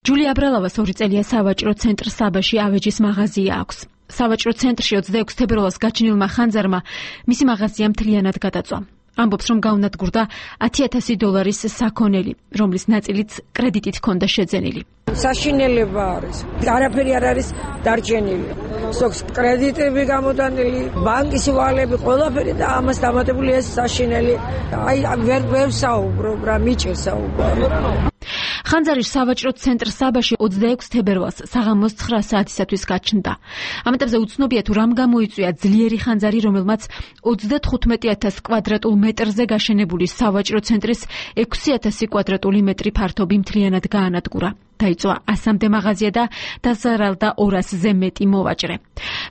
ჯულია აბრალავას 2 წელია სავაჭრო ცენტრ საბაში ავეჯის მაღაზია აქვს. სავაჭრო ცენტრში 26 თებერვალს გაჩენილმა ხანძარმა მისი მაღაზია მთლიანად გადაწვა. ამბობს, რომ გაუნადგურდა $10,000 საქონელი, რომლის ნაწილიც კრედიტით ჰქონდა შეძენილი. საშინელება არის. არაფერი არ არის დარჩენილი. ზოგს კრედიტები გამოდანილი, ბანკის ვალები, ყველაფერი და ამას დამატებული ეს საშინელი. აი ვერ საუბრობ რა, მიჭირს საუბარი. ხანძარის სავაჭრო ცენტრ საბაში 26 თებერვალს საღამოს 9 საათისათვის გაჩნდა. ამ ეტაპზე უცნობია თუ რამ გამოიწვია ძლიერი ხანძარი, რომელმაც 35,000 კვადრატულ მეტრზე გაშენებული სავაჭრო ცენტრის 6,000 კვადრატული მეტრი ფართობი მთლიანად გაანადგურა. დაიწვა 100-მდე მაღაზია და დაზარალდა 200-ზე მეტი მოვაჭრე.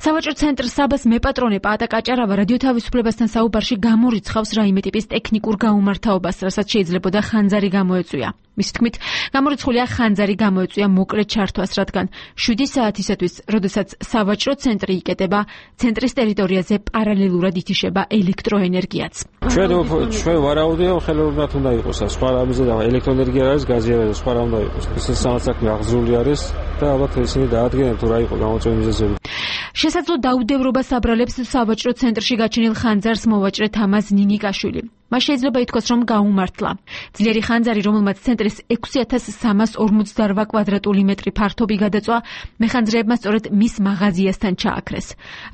სავაჭრო ცენტრ საბას მეპატრონე პაატა კაჭარავა რადიო თავისუფლებასთან საუბარში გამორიცხავს რაიმე ტიპის ტექნიკურ გაუმართავობას, რასაც შეიძლებოდა ხანძარი გამოეწვია. მის თქმით, გამორიცხულია ხანძარი გამოეწვია მოკლე ჩართვას, რადგან 7 საათისათვის, როდესაც სავაჭრო ცენტრი იკეტება, ცენტრის ტერიტორიაზე პარალელურად ითიშება ელექტროენერგიაც. ჩვენ ვარაუდია, ხელოვნურად უნდა იყოს, სხვა რამეზე და ელექტროენერგია არის, გაზი არის, სხვა რა უნდა იყოს. ეს საქმე აღძრული არის და ალბათ ისინი დაადგენენ თუ რა იყო გამოწვევის მიზეზები. შესაძლო დაუდევრობას აბრალებს სავაჭრო ცენტრში გაჩენილ ხანძარს მოვაჭრე თამაზ ნინიკაშვილი. მას შეიძლება ითქვას, რომ გაუმართლა. ძლიერი ხანძარი, რომელმაც ცენტრის 6348 კვადრატული მეტრი ფართობი გადაწვა, მეხანძრეებმა სწორედ მის მაღაზიასთან ჩააქრეს.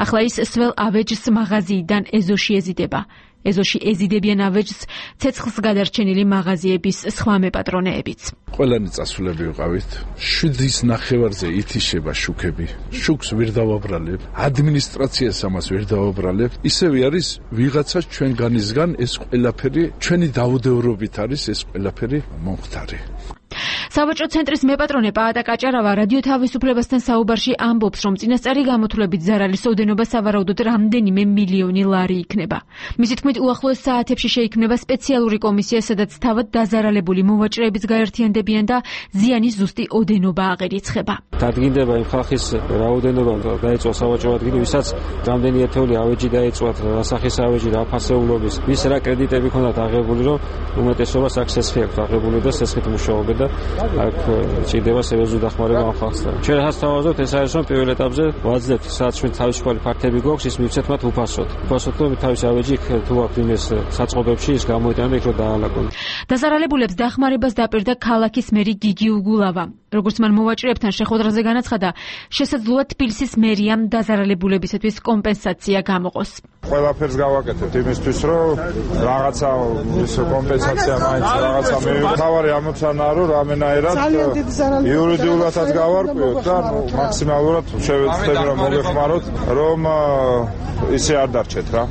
ახლა ის სველ ავეჯს მაღაზიიდან ეზოში ეზიდება. ეზოში ეზიდებიან ავეჯს ცეცხლს გადარჩენილი მაღაზიების სხვა მეპატრონეებიც. ყველანი წასულები ვიყავით. 7-ის ნახევარზე ითიშება შუქები. შუქს ვერ დავაბრალებ. ადმინისტრაციას ამას ვერ დავაბრალებ. ისევ არის ვიღაცას ჩვენგანისგან ეს ყველაფერი ჩვენი დაუდევრობით არის ეს ყველაფერი მომხდარი. სავაჭრო ცენტრის მეპატრონე პაატა კაჭარავა რადიო თავისუფლებასთან საუბარში ამბობს, რომ წინასწარი გამოთვლებით ზარალის ოდენობა სავარაუდოდ რამდენიმე მილიონი ლარი იქნება. მისი თქმით, უახლოეს საათებში შეიქმნება სპეციალური კომისია, სადაც თავად დაზარალებული მოვაჭრეებიც გაერთიანდებიან და ზიანის ზუსტი ოდენობა აღერიცხება. დადგინდება იმ ხალხის რაოდენობა დაეწვა სავაჭრო ადგილი, ვისაც რამდენი ათეული ავეჯი დაეწვათ, რა სახის ავეჯი, რა ფასეულობის, ვის რა კრედიტები ქონდათ აღებული, რომ უმეტესობას აქ სესხი აქვს აღებული და სესხით მუშაობენ და აქ ჭირდება სერიოზული დახმარება ამ ხალხთან. ჩვენ რასაც თავაზობთ, ეს არის რომ პირველ ეტაპზე ვაძლევთ, სადაც ჩვენ თავისუფალი ფაქტები გვაქვს, ის მივცეთ მათ უფასოდ. უფასოდ რომ თავის ავეჯი თუ აქვს იმეს საწყობებში ის გამოიტანა და იქ რომ დაალაგონ. დაზარალებულებს დახმარებას დაპირდა ქალაქის მერი გიგი უგულავა. როგორც მან მოვაჭრეებთან შეხვედრაზე განაცხადა, შესაძლოა თბილისის მერიამ დაზარალებულებისათვის კომპენსაცია გამოყოს. ყველაფერს გავაკეთებთ იმისთვის, რომ რაღაცა ის კომპენსაცია მაინც რაღაცა მივიღოთ. თავარი ამოცანაა, რომ რამენაერად იურიდიულადაც გავარკვიოთ და მაქსიმალურად შევეცდები რომ მოგეხმაროთ, რომ ისე არ დარჩეთ რა.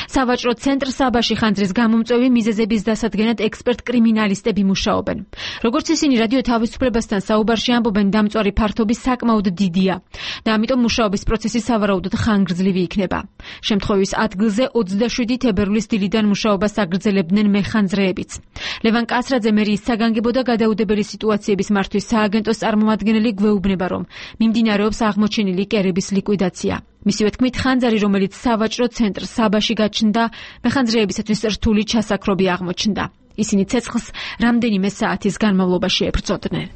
სავაჭრო ცენტრ საბაში ხანძრის გამომწვევი მიზეზების დასადგენად ექსპერტ კრიმინალისტები მუშაობენ. როგორც ისინი რადიო თავისუფლებასთან საუბარში ამბობენ, დამწვარი ფართობი საკმაოდ დიდია და ამიტომ მუშაობის პროცესი სავარაუდოდ ხანგრძლივი იქნება. შემთხვევის ადგილზე 27 თებერვლის დილიდან მუშაობას აგრძელებდნენ მეხანძრეებიც. ლევან კასრაძე მერიის საგანგებო და გადაუდებელი სიტუაციების მართვის სააგენტოს წარმომადგენელი გვეუბნება, რომ მიმდინარეობს აღმოჩენილი კერების ლიკვიდაცია. მისივე თქმით, ხანძარი, რომელიც სავაჭრო ცენტრ საბაში გაჩნდა, მეხანძრეებისათვის რთული ჩასაქრობი აღმოჩნდა. ისინი ცეცხლს რამდენიმე საათის განმავლობაში ებრძოდნენ.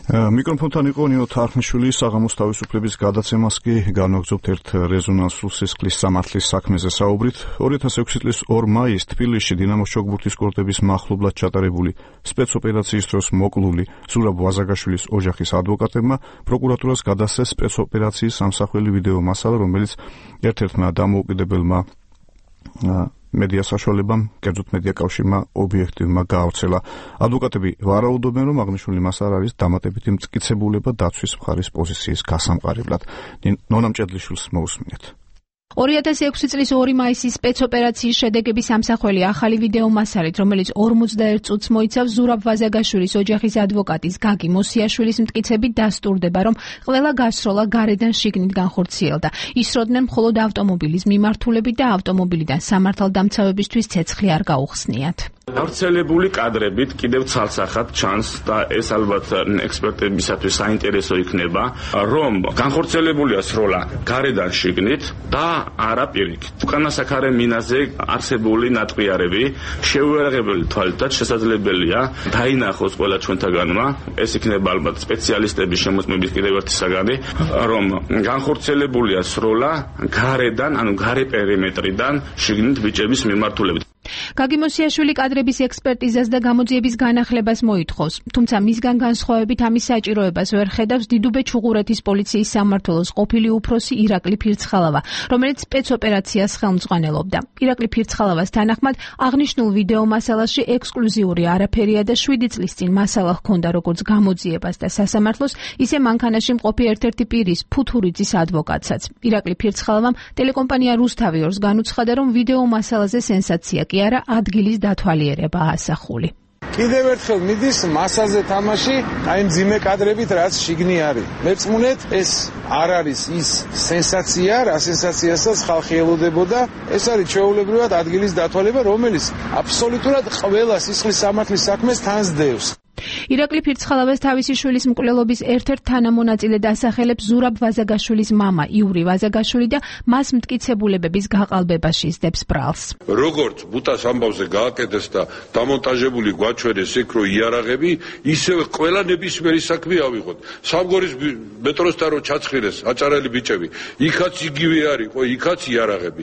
მიკროფონთან იყო ნინო თარხნიშვილი, საღამოს თავისუფლების გადაცემას კი განვაგრძობთ ერთ რეზონანსულ სისხლის სამართლის საქმეზე საუბრით. 2006 წლის 2 მაისს თბილისში დინამოს ჩოგბურთის კორტების მახლობლად ჩატარებული სპეცოპერაციის დროს მოკლული ზურაბ ვაზაგაშვილის ოჯახის ადვოკატებმა პროკურატურას გადასცეს სპეცოპერაციის სამსახველი ვიდეო მასალა, რომელიც ერთ-ერთმა დამოუკიდებელმა მედია საშუალებამ, კერძოდ მედია კავშირმა ობიექტივმა გაავრცელა. ადვოკატები ვარაუდობენ, რომ აღნიშნული მასალა არის დამატებითი მტკიცებულება დაცვის მხარის პოზიციის გასამყარებლად. ნონა მჭედლიშვილს მოусმინეთ. 2006 წლის 2 მაისის სპეცოპერაციის შედეგების სამსახველი ახალი ვიდეო მასალით, რომელიც 41 წუთს მოიცავს ზურაბ ვაზაგაშვილის ოჯახის ადვოკატის გაგი მოსიაშვილის მტკიცებით დასტურდება, რომ ყველა გასროლა გარედან შიგნით განხორციელდა. ისროდნენ მხოლოდ ავტომობილის მიმართულებით და ავტომობილიდან სამართალდამცავებისთვის ცეცხლი არ გაუხსნიათ. გავრცელებული კადრებით კიდევ ცალსახად ჩანს და ეს ალბათ ექსპერტებისათვის საინტერესო იქნება, რომ განხორციელებულია სროლა გარედან შიგნით და არა პირიქით. უკანასაკარე მინაზე არსებული ნატყიარები შეუერაღებელი თვალითაც შესაძლებელია დაინახოს ყველა ჩვენთაგანმა. ეს იქნება ალბათ სპეციალისტების შემოწმების კიდევ ერთი საგანი, რომ განხორციელებულია სროლა გარედან, ანუ გარე პერიმეტრიდან შიგნით ბიჭების მიმართულებით. გაგი მოსიაშვილი კადრების ექსპერტიზას და გამოძიების განახლებას მოითხოვს, თუმცა მისგან განსხვავებით ამის საჭიროებას ვერ ხედავს დიდუბე ჩუღურეთის პოლიციის სამმართველოს ყოფილი უფროსი ირაკლი ფირცხალავა, რომელიც სპეცოპერაციას ხელმძღვანელობდა. ირაკლი ფირცხალავას თანახმად, აღნიშნულ ვიდეო მასალაში ექსკლუზიური არაფერია და 7 წლის წინ მასალა ჰქონდა როგორც გამოძიებას და სასამართლოს, ისე მანქანაში მყოფი ერთ-ერთი პირის ფუთურიძის ადვოკატსაც. ირაკლი ფირცხალავამ ტელეკომპანია რუსთავი 2-ს განუცხადა, რომ ვიდეო მასალაზე სენსაცია კი არა, ადგილის დათვალიერება ასახული. კიდევ ერთხელ მიდის მასაზე თამაში, აი მძიმე კადრებით რაც შიგნი არის. მეწმუნეთ, ეს არ არის ის სენსაცია, რა სენსაციასაც ხალხი ელოდებოდა. ეს არის ჩვეულებრივად ადგილის დათვალიერება, რომელიც აბსოლუტურად ყველა სისხლის სამართლის საქმეს თანსდევს. ირაკლი ფირცხალავას თავისი შვილის მკვლელობის ერთ-ერთ თანამონაწილე დასახელებს ზურაბ ვაზაგაშვილის მამა იური ვაზაგაშვილი და მას მტკიცებულებების გაყალბებაში სდებს ბრალს. როგორც ბუტას ამბავზე გააკეთეს და დამონტაჟებული გვაჩვენეს იქ რო იარაღები, ისევე ყველა ნებისმიერი საქმე ავიღოთ. სამგორის მეტროსთან რო ჩაცხირეს აჭარელი ბიჭები, იქაც იგივე არის, ხო, იქაც იარაღები.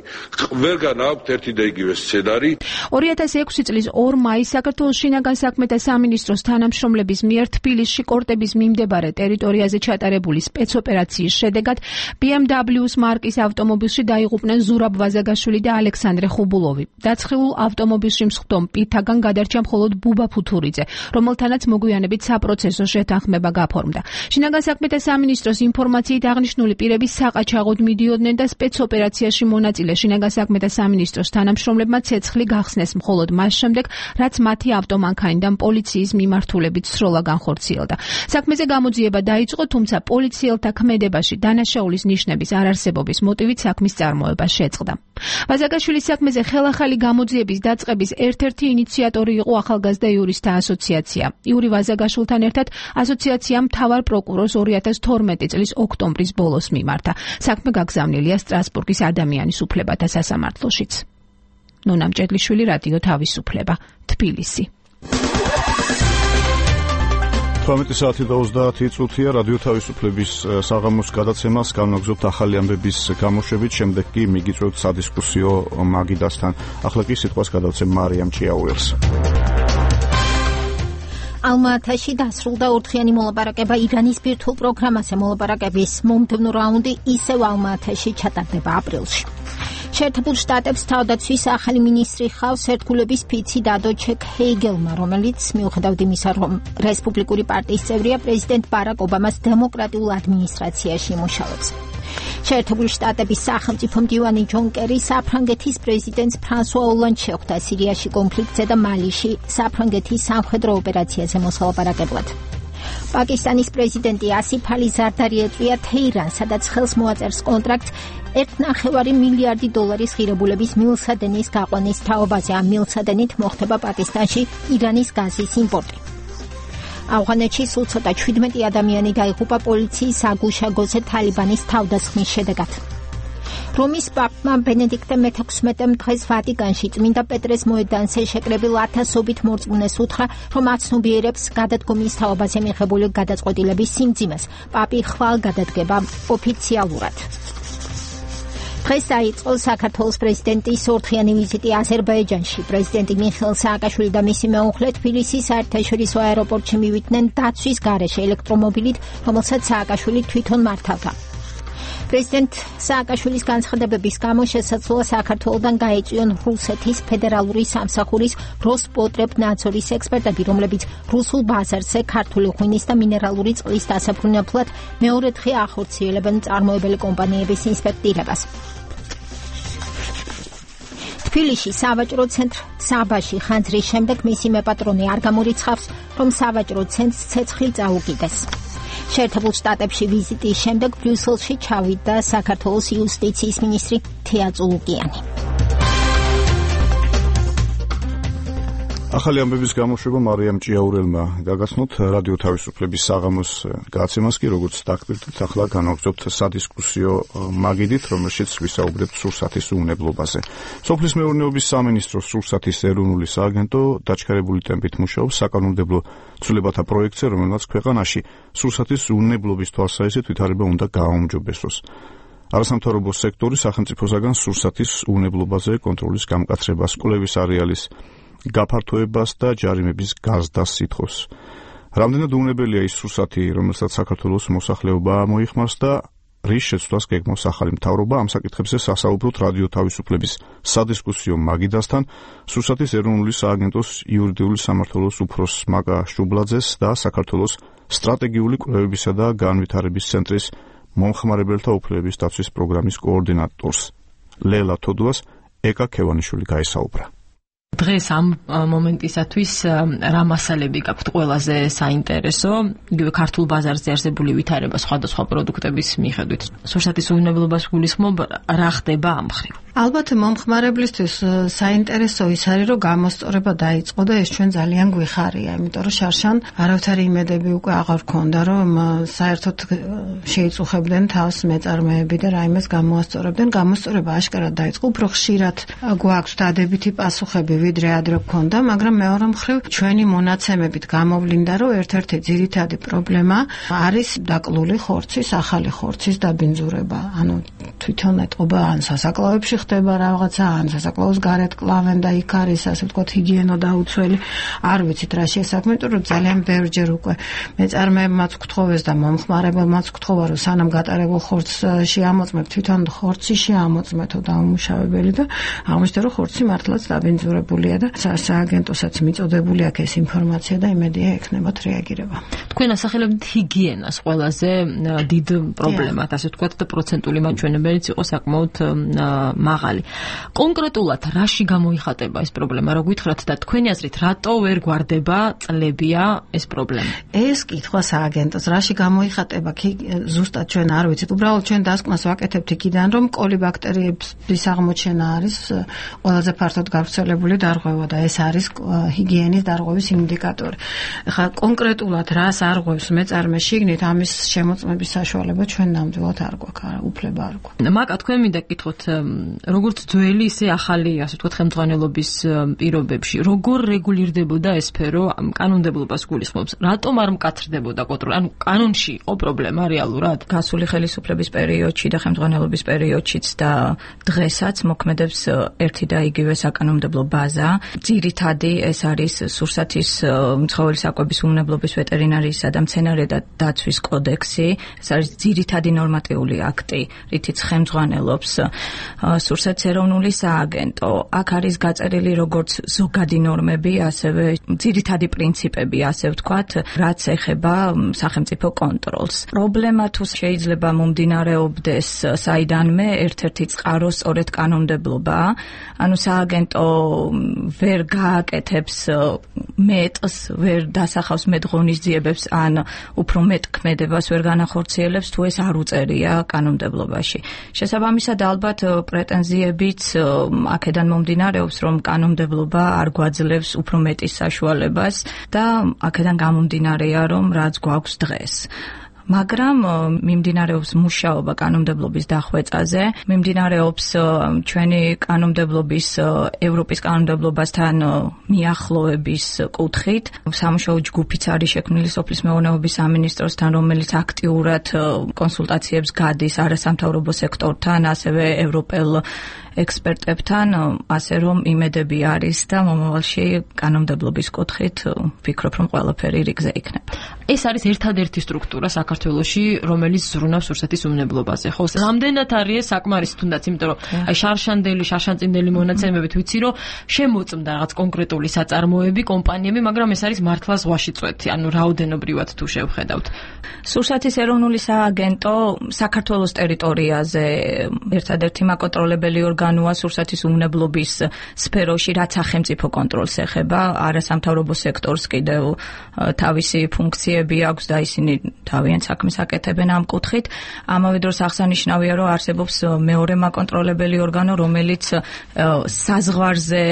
ვერგან აქვთ ერთი და იგივე სცენარი. 2006 წლის 2 მაისს საქართველოს შინაგან საქმეთა სამინისტროს თანამშრომლების მიერ თბილისში კორტების მიმდებარე ტერიტორიაზე ჩატარებული სპეცოპერაციის შედეგად BMW-ს მარკის ავტომობილში დაიღუპნენ ზურაბ ვაზაგაშვილი და ალექსანდრე ხუბულოვი. დაცხილულ ავტომობილში მსხდომ პირთაგან გადარჩა მხოლოდ ბუბა ფუთურიძე, რომელთანაც მოგვიანებით საპროცესო შეთანხმება გაფორმდა. შინაგან საქმეთა სამინისტროს ინფორმაციით აღნიშნული პირები საყაჩაღოდ მიდიოდნენ და სპეცოპერაციაში მონაწილე შინაგან საქმეთა სამინისტროს თანამშრომლებმა ცეცხლი გახსნეს მხოლოდ მას შემდეგ, რაც მათი ავტომანქანიდან პოლიციის მიმართულებით სროლა განხორციელდა. საქმეზე გამოძიება დაიწყო, თუმცა პოლიციელთა ქმედებაში დანაშაულის ნიშნების არარსებობის მოტივით საქმის წარმოება შეწყდა. ვაზაგაშვილის საქმეზე ხელახალი გამოძიების დაწყების ერთ-ერთი ინიციატორი იყო ახალგაზრდა იურისტთა ასოციაცია. იური ვაზაგაშვილთან ერთად ასოციაციამ მთავარ პროკურორს 2012 წლის ოქტომბრის ბოლოს მიმართა. საქმე გაგზავნილია სტრასბურგის ადამიანის უფლებათა სასამართლოშიც. ნონა მჭედლიშვილი, რადიო თავისუფლება, თბილისი. 18 საათი და 30 წუთია რადიო თავისუფლების საღამოს გადაცემას განვაგრძობთ ახალი ამბების გამოშვებით, შემდეგ კი მიგიწევთ სადისკუსიო მაგიდასთან. ახლა კი სიტყვას გადავცემ მარიამ ჭიაურელს. ალმა-ათაში დასრულდა ორდღიანი მოლაპარაკება ირანის ბირთვულ პროგრამაზე. მოლაპარაკების მომდევნო რაუნდი ისევ ალმა-ათაში ჩატარდება აპრილში. შეერთებულ შტატებს თავდაცვის ახალი მინისტრი ხავს ერთგულების ფიცი დადო ჩეკ ჰეიგელმა, რომელიც მიუხედავად იმისა, რომ რესპუბლიკური პარტიის წევრია, პრეზიდენტ ბარაკ ობამას დემოკრატიულ ადმინისტრაციაში იმუშავებს. შეერთებული შტატების სახელმწიფო მდივანი ჯონ კერი საფრანგეთის პრეზიდენტს ფრანსუა ოლანდს შეხვდა სირიაში კონფლიქტზე და მალიში საფრანგეთის სამხედრო ოპერაციაზე მოსალაპარაკებლად. პაკისტანის პრეზიდენტი ასიფ ალი ზარდარი ეწვია თეირანს, სადაც ხელს მოაწერს კონტრაქტს $1.5 მილიარდი ღირებულების მილსადენის გაყვანის თაობაზე. ამ მილსადენით მოხდება პაკისტანში ირანის გაზის იმპორტი. ავღანეთში სულ ცოტა 17 ადამიანი დაიღუპა პოლიციის საგუშაგოზე თალიბანის თავდასხმის შედეგად. რომის პაპმა ბენედიქტე მე-16-მ დღეს ვატიკანში წმინდა პეტრეს მოედანზე შეკრებილ ათასობით მორწმუნეს უთხრა, რომ აცნობიერებს გადადგომის თაობაზე მიღებული გადაწყვეტილების სიმძიმეს. პაპი ხვალ გადადგება ოფიციალურად. დღეს დაიწყო საქართველოს პრეზიდენტის ორდღიანი ვიზიტი აზერბაიჯანში. პრეზიდენტი მიხეილ სააკაშვილი და მისი მეუღლე თბილისის საერთაშორისო აეროპორტში მივიდნენ დაცვის გარეშე ელექტრომობილით, რომელსაც სააკაშვილი თვითონ მართავდა. პრეზიდენტ სააკაშვილის განცხადებების გამო შესაძლოა საქართველოდან გაეწვიონ რუსეთის ფედერალური სამსახურის როსპოტრებნადზორის ექსპერტები, რომლებიც რუსულ ბაზარზე ქართული ღვინის და მინერალური წყლის დასაბრუნებლად მეორე დღე ახორციელებენ წარმოებელი კომპანიების ინსპექტირებას. თბილისში სავაჭრო ცენტრ საბაში ხანძრის შემდეგ მისი მეპატრონე არ გამორიცხავს, რომ სავაჭრო ცენტრს ცეცხლი წაუკიდეს. შეერთებულ შტატებში ვიზიტის შემდეგ ბრიუსელში ჩავიდა საქართველოს იუსტიციის მინისტრი თეა წულუკიანი. ახალი ამბების გამოშვება მარიამ ჭიაურელმა გაგაცნოთ. რადიო თავისუფლების საღამოს გაცემას კი როგორც დაგკვირდით, ახლა განვაგრძობთ სადისკუსიო მაგიდით, რომელშიც ვისაუბრებთ სურსათის უვნებლობაზე. სოფლის მეურნეობის სამინისტროს სურსათის ეროვნული სააგენტო დაჩქარებული ტემპით მუშაობს საკანონმდებლო ცვლილებათა პროექტზე, რომელმაც ქვეყანაში სურსათის უვნებლობის თვალსაზრისით ვითარება უნდა გააუმჯობესოს. არასამთავრობო სექტორი სახელმწიფოსაგან სურსათის უვნებლობაზე კონტროლის გამკაცრებას, კვლევის არეალის გაფართოებას და ჯარიმების გაზდას სითხოვს. რამდენად უვნებელია ის სურსათი, რომელსაც საქართველოს მოსახლეობა მოიხმარს და რის შეცვლას გეგმავს ახალი მთავრობა, ამ საკითხებზე სასაუბროთ რადიო თავისუფლების სადისკუსიო მაგიდასთან, სურსათის ეროვნული სააგენტოს იურიდიული სამმართველოს უფროს მაგა შუბლაძეს და საქართველოს სტრატეგიული კვლევებისა და განვითარების ცენტრის მომხმარებელთა უფლებების დაცვის პროგრამის კოორდინატორს ლელა თოდუას ეკა ქევანიშვილი გაესაუბრა. დღეს ამ მომენტისათვის რა მასალები გაქვთ ყველაზე საინტერესო, იგივე ქართულ ბაზარზე არსებული ვითარება სხვადასხვა პროდუქტების მიხედვით. სურსათის უვნებლობას გულისხმობ, რა ხდება ამ მხრივ? ალბათ მომხმარებლისთვის საინტერესო ის არის, რომ გამოსწორება დაიწყო და ეს ჩვენ ძალიან გვიხარია, იმიტომ რომ შარშან არავითარი იმედები უკვე აღარ ქონდა, რომ საერთოდ შეიწუხებდნენ თავს მეწარმეები და რაიმეს გამოასწორებდნენ. გამოსწორება აშკარად დაიწყო, უფრო ხშირად გვაქვს დადებითი პასუხები, ვიდრე ადრე გქონდა, მაგრამ მეორე მხრივ ჩვენი მონაცემებით გამოვლინდა, რომ ერთ-ერთი ძირითადი პრობლემა არის დაკლული ხორცის, ახალი ხორცის დაბინძურება. ანუ თვითონ ეტყობა ან სასაკლაოებში ხდება რაღაცა, ან სასაკლაოს გარეთ კლავენ და იქ არის ასე ვთქვათ ჰიგიენო დაუცველი. არ ვიცით რა შესაქმე, იმიტომ რომ ძალიან ბევრჯერ უკვე მეწარმეებმაც გთხოვეს და მომხმარებელმაც გთხოვა, რომ სანამ გატარებულ ხორცს შეამოწმებ, თვითონ ხორცი შეამოწმეთო დაუმუშავებელი და აღმოჩნდა, რომ ხორცი მართლაც დაბინძურებულია და სააგენტოსაც მიწოდებული აქვს ეს ინფორმაცია და იმედია ექნებათ რეაგირება. თქვენ ასახელებთ ჰიგიენას ყველაზე დიდ პრობლემად, ასე ვთქვათ და პროცენტული მაჩვენებელიც იყო საკმაოდ მაღალი. კონკრეტულად რაში გამოიხატება ეს პრობლემა? რა გითხრათ და თქვენი აზრით რატო ვერ გვარდება წლებია ეს პრობლემა? ეს კითხვა სააგენტოს რაში გამოიხატება კი ზუსტად ჩვენ არ ვიცით. უბრალოდ ჩვენ დასკვნას ვაკეთებთ იქიდან, რომ კოლიბაქტერიების აღმოჩენა არის ყველაზე ფართოდ გავრცელებული დარღვევა და ეს არის ჰიგიენის დარღვევის ინდიკატორი. ხა კონკრეტულად რას არღვევს მეწარმე შიგნით, ამის შემოწმების საშუალება ჩვენ ნამდვილად არ გვაქვს, უფლება არ გვაქვს. მაკა თქვენ მინდა გკითხოთ, როგორც ძველი ისე ახალი, ასე ვთქვათ, ხელმძღვანელობის პირობებში, როგორ რეგულირდებოდა ეს სფერო კანონმდებლობას გულისხმობს? რატომ არ მკაცრდებოდა კონტროლი? ანუ კანონში იყო პრობლემა რეალურად? გასული ხელისუფლების პერიოდში და ხელმძღვანელობის პერიოდშიც და დღესაც მოქმედებს ერთი და იგივე საკანონმდებლო ბაზა. ძირითადი ეს არის სურსათის ცხოველის საკვების უმნებლობის ვეტერინარიისა და მცენარე და დაცვის კოდექსი. ეს არის ძირითადი ნორმატიული აქტი, რითიც ხელმძღვანელობს სურსათის ეროვნული სააგენტო. აქ არის გაწერილი როგორც ზოგადი ნორმები, ასევე ძირითადი პრინციპები, ასე ვთქვათ, რაც ეხება სახელმწიფო კონტროლს. პრობლემა თუ შეიძლება მომდინარეობდეს საიდანმე, ერთ-ერთი წყარო სწორედ კანონმდებლობაა. ანუ სააგენტო ვერ გააკეთებს მეტს, ვერ დასახავს მეტ ღონისძიებებს ან უფრო მეტ ქმედებას ვერ განახორციელებს, თუ ეს არ უწერია კანონმდებლობაში. შესაბამისად, ალბათ პრეტენზიებიც აქედან მომდინარეობს, რომ კანონმდებლობა არ გვაძლევს უფრო მეტის საშუალებას და აქედან გამომდინარეა, რომ რაც გვაქვს დღეს. მაგრამ მიმდინარეობს მუშაობა კანონმდებლობის დახვეწაზე, მიმდინარეობს ჩვენი კანონმდებლობის ევროპის კანონმდებლობასთან მიახლოების კუთხით. სამუშაო ჯგუფიც არის შექმნილი სოფლის მეურნეობის სამინისტროსთან, რომელიც აქტიურად კონსულტაციებს გადის არასამთავრობო სექტორთან, ასევე ევროპელ ექსპერტებთან, ასე რომ იმედები არის და მომავალში კანონმდებლობის კუთხით ვფიქრობ, რომ ყველაფერი რიგზე იქნება. ეს არის ერთადერთი სტრუქტურა საქართველოში, რომელიც ზრუნავს სურსათის უმნებლობაზე. ხო, რამდენად არის საკმარისი თუნდაც, იმიტომ რომ აი შარშანწინდელი მონაცემებით ვიცი, რომ შემოწმდა რაღაც კონკრეტული საწარმოები, კომპანიები, მაგრამ ეს არის მართლა ზღვაში წვეთი, ანუ რაოდენობრივად თუ შევხედავთ. სურსათის ეროვნული სააგენტო საქართველოს ტერიტორიაზე ერთადერთი მაკონტროლებელი ორგანოა სურსათის უმნებლობის სფეროში, რაც სახელმწიფო კონტროლს ეხება, არასამთავრობო სექტორს კიდევ თავისი ფუნქციები აქვს და ისინი თავიანთ საქმეს აკეთებენ ამ კუთხით. ამავე დროს აღსანიშნავია, რომ არსებობს მეორე მაკონტროლებელი ორგანო, რომელიც საზღვარზე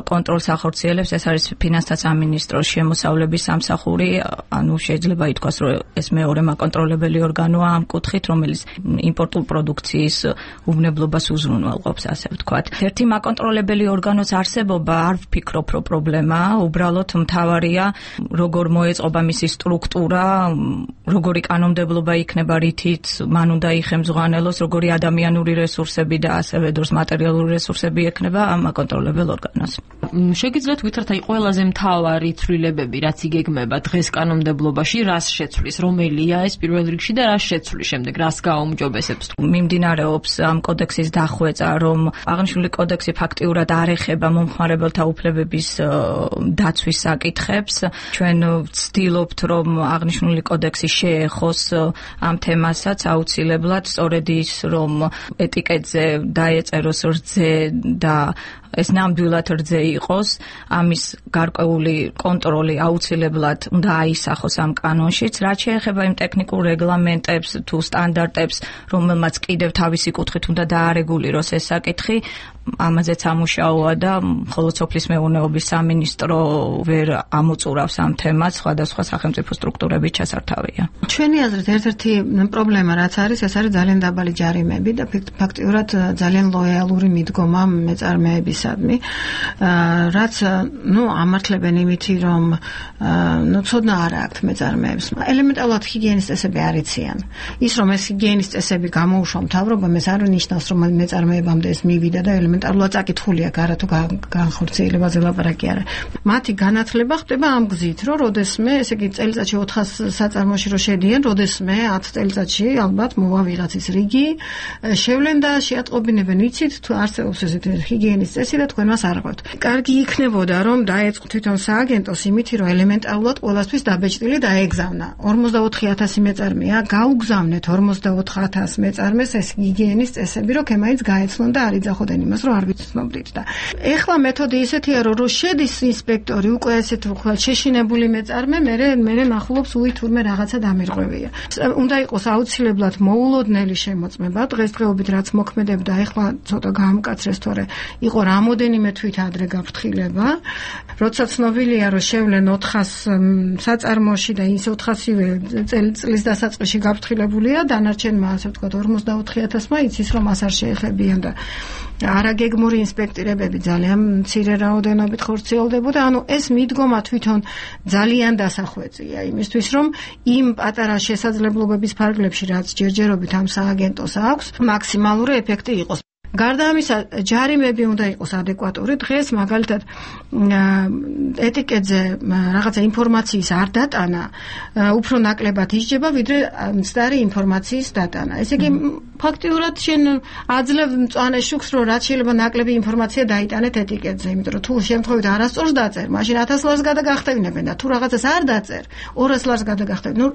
კონტროლს ახორციელებს, ეს არის ფინანსთა სამინისტროს შემოსავლების სამსახური, ანუ შეიძლება ითქვას, რომ ეს მეორე მაკონტროლებელი ორგანოა ამ კუთხით, რომელიც იმპორტულ პროდუქციის უმნებლობას უზრუნველყოფს, ასე ვთქვათ. ერთი მაკონტროლებელი ორგანოს არსებობა არ ვფიქრობ, რომ პრობლემაა, უბრალოდ მთავარია როგორ მოეწყობა მისი სტრუქტურა, როგორი კანონმდებლობა იქნება, რითიც მან უნდა იხემძღვანელოს, როგორი ადამიანური რესურსები და ასევე დროს მატერიალური რესურსები ექნება ამ მაკონტროლებელ ორგანოს. შეგიძლიათ ვითართ აი ყველაზე მთავარი ცვლილებები, რაც იგეგმება დღეს კანონმდებლობაში, რას შეცვლის, რომელია ეს პირველ რიგში და რას შეცვლის შემდეგ, რას გააუმჯობესებს? მიმდინარეობს ამ კოდექსის დახვეწა, რომ აღნიშნული კოდექსი ფაქტიურად არ ეხება მომხმარებელთა უფლებების დაცვის საკითხებს. ჩვენ ვცდილობთ, რომ აღნიშნული კოდექსი შეეხოს ამ თემასაც აუცილებლად სწორედ ის რომ ეტიკეტზე დაეწეროს რძე და ეს ნამდვილად რძე იყოს, ამის გარკვეული კონტროლი აუცილებლად უნდა აისახოს ამ კანონშიც, რაც შეეხება იმ ტექნიკურ რეგლამენტებს თუ სტანდარტებს, რომელმაც კიდევ თავისი კუთხით უნდა დაარეგულიროს ეს საკითხი, ამაზეც ამუშაოა და მხოლოდ სოფლის მეურნეობის სამინისტრო ვერ ამოწურავს ამ თემას, სხვადასხვა სახელმწიფო სტრუქტურებით ჩასართავია. ჩვენი აზრით ერთ-ერთი პრობლემა რაც არის, ეს არის ძალიან დაბალი ჯარიმები და ფაქტიურად ძალიან ლოიალური მიდგომა მეწარმეებისადმი, რაც ამართლებენ იმითი, რომ ცოდნა არ აქვთ მეწარმეებს. ელემენტარულად ჰიგიენის წესები არ იციან. ის რომ ეს ჰიგიენის წესები გამოუშვა მთავრობამ, ეს არ ნიშნავს, რომ მეწარმეებამდე ეს მივიდა და ელემენტარულად წაკითხული აქვს, არა თუ განხორციელებაზე ლაპარაკი არა. მათი განათლება ხდება ამ გზით, რომ როდესმე, ესე იგი წელიწადში 400 საწარმოში რო შედიან, როდესმე 10 წელიწადში ალბათ მოვა ვიღაცის რიგი, შევლენ და შეატყობინებენ, იცით, თუ არსებობს ესეთი ჰიგიენის წესი და თქვენ მას არ ყვევთ. კარგი იქნებოდა, რომ დაეწყო თვითონ სააგენტოს იმითი, რომ ელემენტარულად ყველასთვის დაბეჭდილი დაეგზავნა. 44000 მეწარმეა, გაუგზავნეთ 44000 მეწარმეს ეს ჰიგიენის წესები, რომ ემაიც გაეცნონ და არ იძახოდნენ იმას, რომ არ ვიცნობდით და. ეხლა მეთოდი ისეთია, რომ შედის ინსპექტორი უკვე ესეთ ხვალ შეშინებული მეწარმე, მე ნახულობს უი თურმე რაღაცა დამირღვევია. უნდა იყოს აუცილებლად მოულოდნელი შემოწმება, დღესდღეობით რაც მოქმედებდა, ეხლა ცოტა გაამკაცრეს, თორე იყო რამოდენიმე თვით ადრე გაფრთხილება, როცა ცნობილია, რომ შევლენ 400 საწარმოში და ის 400-ვე წლის დასაწყისში გაფრთხილებულია, დანარჩენმა ასე ვთქვათ 44000-მა იცის, რომ მას არ შეეხებიან და არაგეგმური ინსპექტირებები ძალიან მცირე რაოდენობით ხორციელდებოდა. ანუ ეს მიდგომა თვითონ ძალიან დასახვეწია იმისთვის, რომ იმ პატარა შესაძლებლობების ფარგლებში, რაც ჯერჯერობით ამ სააგენტოს აქვს, მაქსიმალური ეფექტი იყოს. გარდა ამისა, ჯარიმები უნდა იყოს ადეკვატური. დღეს მაგალითად ეტიკეტზე რაღაცა ინფორმაციის არ დატანა, უფრო ნაკლებად ისჯება, ვიდრე მცდარი ინფორმაციის დატანა. ესე იგი, ფაქტიურად შენ აძლევ მწვანე შუქს, რომ რაც შეიძლება ნაკლები ინფორმაცია დაიტანეთ ეტიკეტზე, იმიტომ რომ თუ შემთხვევით არასწორს დაწერ, მაშინ 1000 ლარს გადაგახტევინებენ და თუ რაღაცას არ დაწერ, 200 ლარს გადაგახტევინებენ.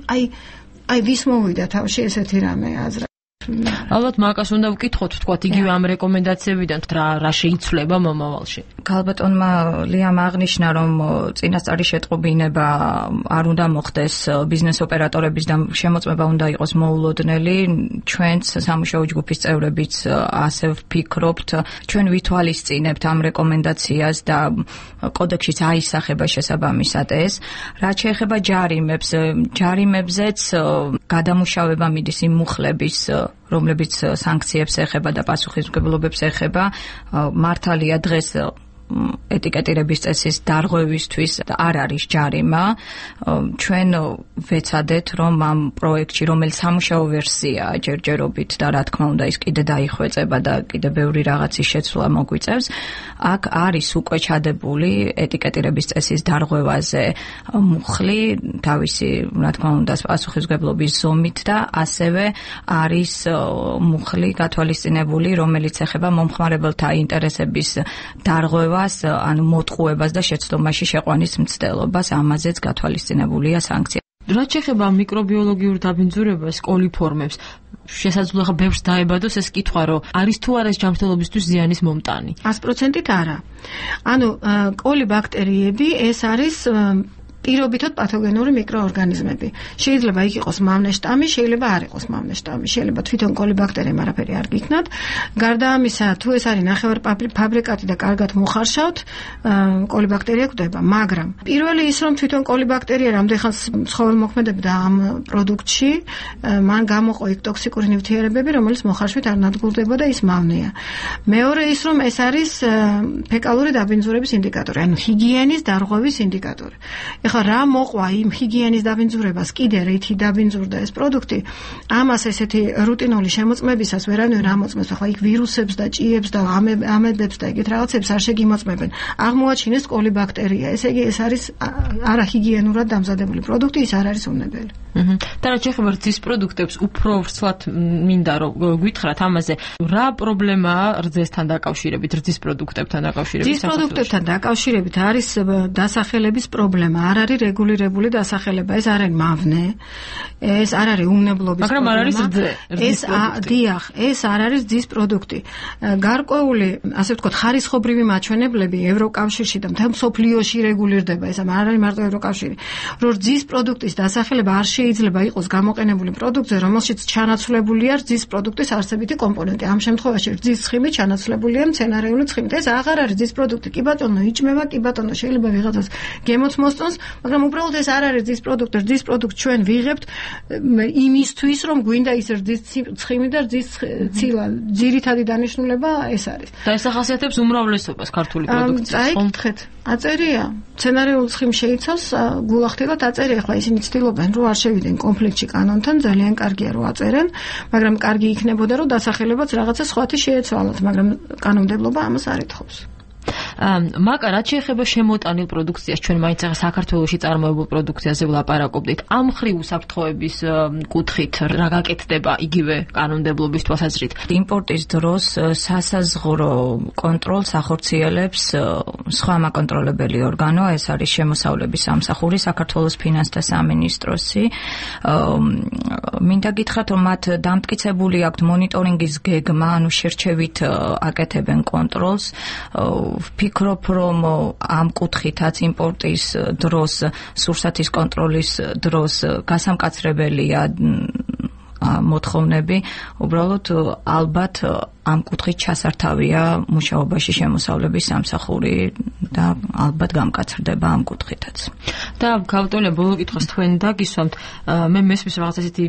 აი ვის მოვიდა თავში ესეთი რამე აზრა. ალბათ მაგას უნდა ვკითხოთ, თქვათ, იგივე ამ რეკომენდაციებიდან რა შეიცვლება მომავალში. გალბატონმა ლიამ აღნიშნა, რომ წინასწარი შეტყობინება არ უნდა მოხდეს ბიზნეს ოპერატორების და შემოწმება უნდა იყოს მოულოდნელი. ჩვენც სამუშაო ჯგუფის წევრებიც ასე ვფიქრობთ, ჩვენ ვითვალისწინებთ ამ რეკომენდაციას და კოდექსშიც აისახება შესაბამისად ეს. რაც შეეხება ჯარიმებზეც გადამუშავება მიდის იმ მუხლების, რომლებიც სანქციებს ეხება და პასუხისმგებლობებს ეხება. მართალია დღეს ეტიკეტირების წესის დარღვევისთვის არ არის ჯარიმა. ჩვენ ვეცადეთ, რომ ამ პროექტში, რომელიც სამუშაო ვერსიაა ჯერჯერობით და რა თქმა უნდა ის კიდე დაიხვეწება და კიდე ბევრი რაღაცის შეცვლა მოგვიწევს, აქ არის უკვე ჩადებული ეტიკეტირების წესის დარღვევაზე მუხლი, თავისი რა თქმა უნდა პასუხისმგებლობის ზომით და ასევე არის მუხლი გათვალისწინებული, რომელიც ეხება მომხმარებელთა ინტერესების დარღვევას, ანუ მოტყუებას და შეცდომაში შეყვანის მცდელობას, ამაზეც გათვალისწინებულია სანქცია. რაც შეეხება მიკრობიოლოგიურ დაბინძურებას, კოლიფორმებს, შესაძლოა ხა ბევრს დაებადოს ეს კითხვა, რომ არის თუ არა ეს ჯანმრთელობისთვის ზიანის მომტანი. 100%-ით არა. ანუ კოლიბაქტერიები ეს არის პირობითად პათოგენური მიკროორგანიზმები. შეიძლება იქ იყოს მავნე შტამი, შეიძლება არ იყოს მავნე შტამი, შეიძლება თვითონ კოლიბაქტერიამ არაფერი არ გიქნათ. გარდა ამისა, თუ ეს არის ნახევარფაბრიკატი და კარგად მოხარშავთ, კოლიბაქტერია გვხვდება, მაგრამ პირველი ის რომ თვითონ კოლიბაქტერია რამდენხანს ცხოველმოქმედებდა ამ პროდუქტში, მან გამოყო იქ ტოქსიკური ნივთიერებები, რომელიც მოხარშვით არ ნადგურდება და ის მავნეა. მეორე ის რომ ეს არის ფეკალური დაბინძურების ინდიკატორი, ანუ ჰიგიენის დარღვევის ინდიკატორი. ეხლა რა მოყვა იმ ჰიგიენის დაბინძურებას, კიდე რითი დაბინძურდა ეს პროდუქტი, ამას ესეთი რუტინული შემოწმებისას ვერანაირ არ მოწმებს. ახლა იქ ვირუსებს და ჭიებს და ამებებს და ეგეთ რაღაცებს არ შეგიმოწმებენ. აღმოაჩინეს კოლიბაქტერია. ესე იგი ეს არის არაჰიგიენურად დამზადებული პროდუქტი, ის არ არის უნებელი. და რაც შეეხება რძის პროდუქტებს, უფრო ვრცლად მინდა რომ გითხრათ ამაზე, რა პრობლემაა რძესთან დაკავშირებით, რძის პროდუქტებთან დაკავშირებით? რძის პროდუქტებთან დაკავშირებით არის დასახელების პრობლემა, არ არის რეგულირებული დასახელება, ეს არ არის მავნე, ეს არ არის უმნებლობის პრობლემა. მაგრამ არ არის რძე. დიახ, ეს არ არის რძის პროდუქტი. გარკვეული, ასე ვთქვათ, ხარისხობრივი მაჩვენებლები ევროკავშირში და მთელ მსოფლიოში რეგულირდება, ეს არ არის მარტო ევროკავშირი. რომ რძის პროდუქტის დასახელება არ შეიძლება იყოს გამოყენებული პროდუქტზე, რომელშიც ჩანაცვლებულია რძის პროდუქტის არსებითი კომპონენტი. ამ შემთხვევაში რძის ცხიმი ჩანაცვლებულია მცენარეული ცხიმით. ეს აღარ არის რძის პროდუქტი. კი ბატონო, იჭმება, კი ბატონო, შეიძლება ვიღაცას გემოც მოსწონს, მაგრამ უბრალოდ ეს არ არის რძის პროდუქტი. რძის პროდუქტს ჩვენ ვიღებთ იმისთვის, რომ გვინდა ის რძის ცხიმი და რძის ცილა. ძირითადი დანიშნულება ეს არის. და ეს ახასიათებს უმრავლესობას ქართული პროდუქციის. წაიკითხეთ, აწერია. მცენარეული ცხიმი შეიცავს გულახდილად აწერია. ახლა ისინი ცდილობენ, რომ არ შევიდნენ კონფლიქტში კანონთან, ძალიან კარგია რომ აწერენ, მაგრამ კარგი იქნებოდა, რომ დასახელებაც რაღაცა სხვათი შეეცვალათ, მაგრამ კანონმდებლობა ამას არ ეთხოვს. მაკა რაც შეეხება შემოტანილ პროდუქციას, ჩვენ მაინც ახლა საქართველოში წარმოებულ პროდუქციაზე ვლაპარაკობდით. ამ მხრივ უსაფრთხოების კუთხით რა გაკეთდება იგივე კანონმდებლობის თვალსაზრით? იმპორტის დროს სასაზღვრო კონტროლს ახორციელებს სხვა მაკონტროლებელი ორგანო, ეს არის შემოსავლების სამსახური, საქართველოს ფინანსთა სამინისტროსი. მინდა გითხრათ, რომ მათ დამტკიცებული აქვთ მონიტორინგის გეგმა, ანუ შერჩევით აკეთებენ კონტროლს. ვფიქრობ, რომ ამ კუთხითაც იმპორტის დროს, სურსათის კონტროლის დროს გასამკაცრებელია მოთხოვნები, უბრალოდ ალბათ ამ კუთხით ჩასართავია მუშაობაში შემოსავლების სამსახური და ალბათ გამკაცრდება ამ კუთხითაც. და გავტოლე ბოლო კითხვას თქვენ დაგისვამთ, მე მესმის რაღაც ესეთი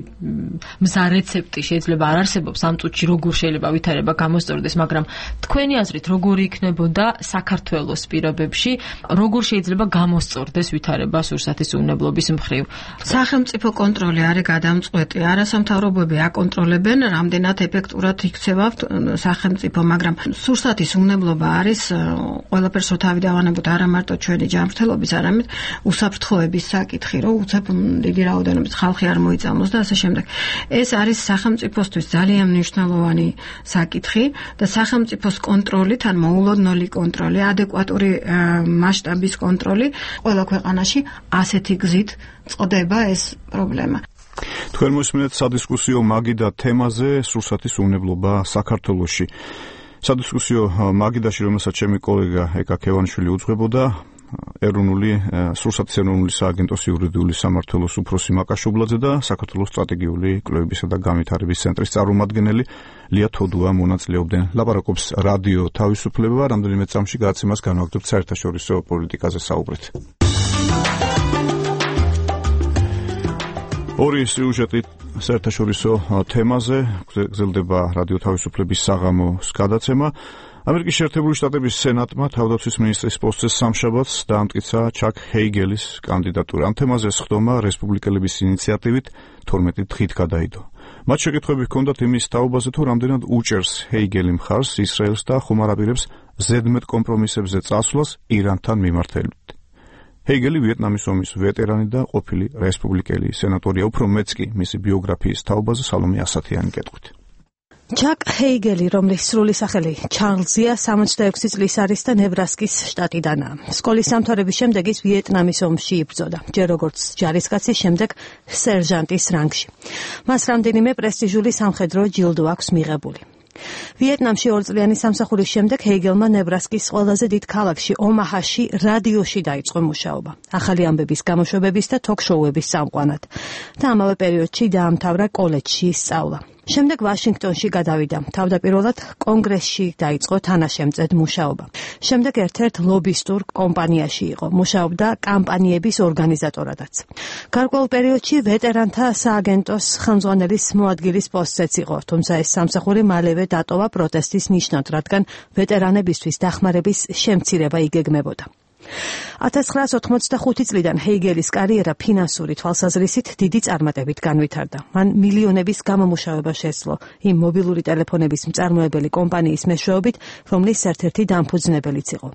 მზა რეცეპტი შეიძლება არ არსებობს ამ წუთში როგორ შეიძლება ვითარება გამოსწორდეს, მაგრამ თქვენი აზრით როგორი იქნებოდა საქართველოს პირობებში, როგორ შეიძლება გამოსწორდეს ვითარება სურსათის უნებლობის მხრივ? სახელმწიფო კონტროლი არის გადამწყვეტი, არასამთავრობოები აკონტროლებენ, რამდენად ეფექტურად იქცევა სახელმწიფო, მაგრამ სურსათის უნებლობა არის ყველაფერს თავი დავანებოთ, არა მარტო ჩვენი ჯანმრთელობის, არამედ უსაფრთხოების საკითხი, რომ უცებ დიდი რაოდენობის ხალხი არ მოიწამოს და ასე შემდეგ. ეს არის სახელმწიფოსთვის ძალიან მნიშვნელოვანი საკითხი და სახელმწიფოს კონტროლით, ან მოულოდნელი კონტროლი, ადეკვატური მასშტაბის კონტროლი ყველა ქვეყანაში ასეთი გზით წყდება ეს პრობლემა. თქვენ მოსმენთ სადისკუსიო მაგიდა თემაზე სურსათის უნებლობა საქართველოში. სადისკუსიო მაგიდაში, რომელსაც ჩემი კოლეგა ეკა ქევანიშვილი უძღვებოდა, ეროვნული სურსათის ეროვნული სააგენტოს იურიდიული სამმართველოს უფროსი მაკა შუბლაძე და საქართველოს სტრატეგიული კვლევებისა და განვითარების ცენტრის წარმომადგენელი ლია თოდუა მონაწილეობდნენ. ლაპარაკობს რადიო თავისუფლება, რამდენიმე წამში გადაცემას განვაგრძობთ საერთაშორისო პოლიტიკაზე საუბრით. ორი სიუჟეტი საერთაშორისო თემაზე გრძელდება რადიო თავისუფლების საღამოს გადაცემა. ამერიკის შეერთებული შტატების სენატმა თავდაცვის მინისტრის პოსტზე სამშაბათს დაამტკიცა ჩაკ ჰეიგელის კანდიდატურა. ამ თემაზე სხდომა რესპუბლიკელების ინიციატივით 12 დღით გადაიდო. მათ შეკითხვები ჰქონდათ იმის თაობაზე, თუ რამდენად უჭერს ჰეიგელი მხარს ისრაელს და ხომ არ აპირებს ზედმეტ კომპრომისებზე წასვლას ირანთან მიმართებით. ჰეიგელი ვიეტნამის ომის ვეტერანი და ყოფილი რესპუბლიკელი სენატორია. უფრო მეც კი მისი ბიოგრაფიის თაობაზე სალომე ასათიანი კეთყვით. ჩაკ ჰეიგელი, რომლის სრული სახელი ჩარლზია, 66 წლის არის და ნებრასკის შტატიდანაა. სკოლის დამთავრების შემდეგ ის ვიეტნამის ომში იბრძოდა, ჯერ როგორც ჯარისკაცის, შემდეგ სერჟანტის რანგში. მას რამდენიმე პრესტიჟული სამხედრო ჯილდო აქვს მიღებული. ვიეტნამში 2 წლიანი სამსახურის შემდეგ ჰეიგელმა ნებრასკის ყველაზე დიდ ქალაქში ომაჰაში რადიოში დაიწყო მუშაობა, ახალი ამბების გამოშვებების და თოქ-შოუების წამყვანად და ამავე პერიოდში დაამთავრა კოლეჯში სწავლა. შემდეგ ვაშინგტონში გადავიდა. თავდაპირველად კონგრესში დაიწყო თანაშემწედ მუშაობა. შემდეგ ერთ-ერთ ლობისტურ კომპანიაში იყო. მუშაობდა კამპანიების ორგანიზატორადაც. გარკვეულ პერიოდში ვეტერანთა სააგენტოს ხელმძღვანელის მოადგილის პოსტზეც იყო, თუმცა ეს სამსახური მალევე დატოვა პროტესტის ნიშნად, რადგან ვეტერანებისთვის დახმარების შემცირება იგეგმებოდა. 1985 წლიდან ჰეიგელის კარიერა ფინანსური თვალსაზრისით დიდი წარმატებით განვითარდა. მან მილიონების გამომუშავება შეძლო იმ მობილური ტელეფონების მწარმოებელი კომპანიის მეშვეობით, რომლის ერთ-ერთი დამფუძნებელიც იყო.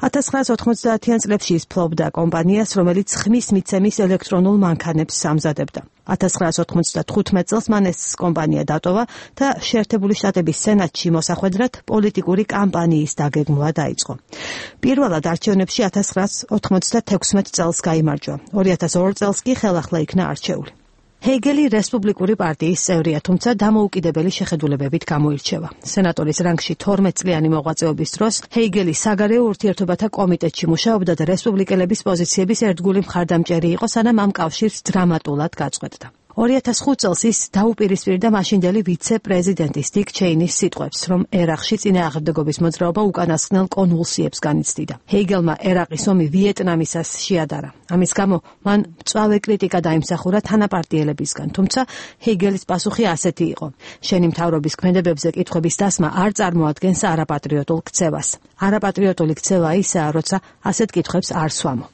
1990-იან წლებში ის ფლობდა კომპანიას, რომელიც ხმის მიცემის ელექტრონულ მანქანებს ამზადებდა. 1995 წელს მან ეს კომპანია დატოვა და შეერთებული შტატების სენატში მოსახვედრად პოლიტიკური კამპანიის დაგეგმვა დაიწყო. პირველად არჩევნებში 1996 წელს გაიმარჯვა. 2002 წელს კი ხელახლა იქნა არჩეული. ჰეიგელი რესპუბლიკური პარტიის წევრია, თუმცა დამოუკიდებელი შეხედულებებით გამოირჩევა. სენატორის რანგში 12 წლიანი მოღვაწეობის დროს ჰეიგელი საგარეო ურთიერთობათა კომიტეტში მუშაობდა და რესპუბლიკელების პოზიციების ერთგული მხარდამჭერი იყო, სანამ ამ კავშირს დრამატულად გაწყვეტდა. 2005 წელს ის დაუპირისპირდა მაშინდელი ვიცე-პრეზიდენტის დიკ ჩეინის სიტყვებს, რომ ერაყში წინააღმდეგობის მოძრაობა უკანასკნელ კონვულსიებს განიცდიდა. ჰეიგელმა ერაყის ომი ვიეტნამისას შეადარა. ამის გამო მან მწვავე კრიტიკა დაიმსახურა თანაპარტიელებისგან, თუმცა ჰეიგელის პასუხი ასეთი იყო: შენი მთავრობის ქმედებებზე კითხვების დასმა არ წარმოადგენს არაპატრიოტულ ქცევას. არაპატრიოტული ქცევა ისაა, როცა ასეთ კითხვებს არ სვამო.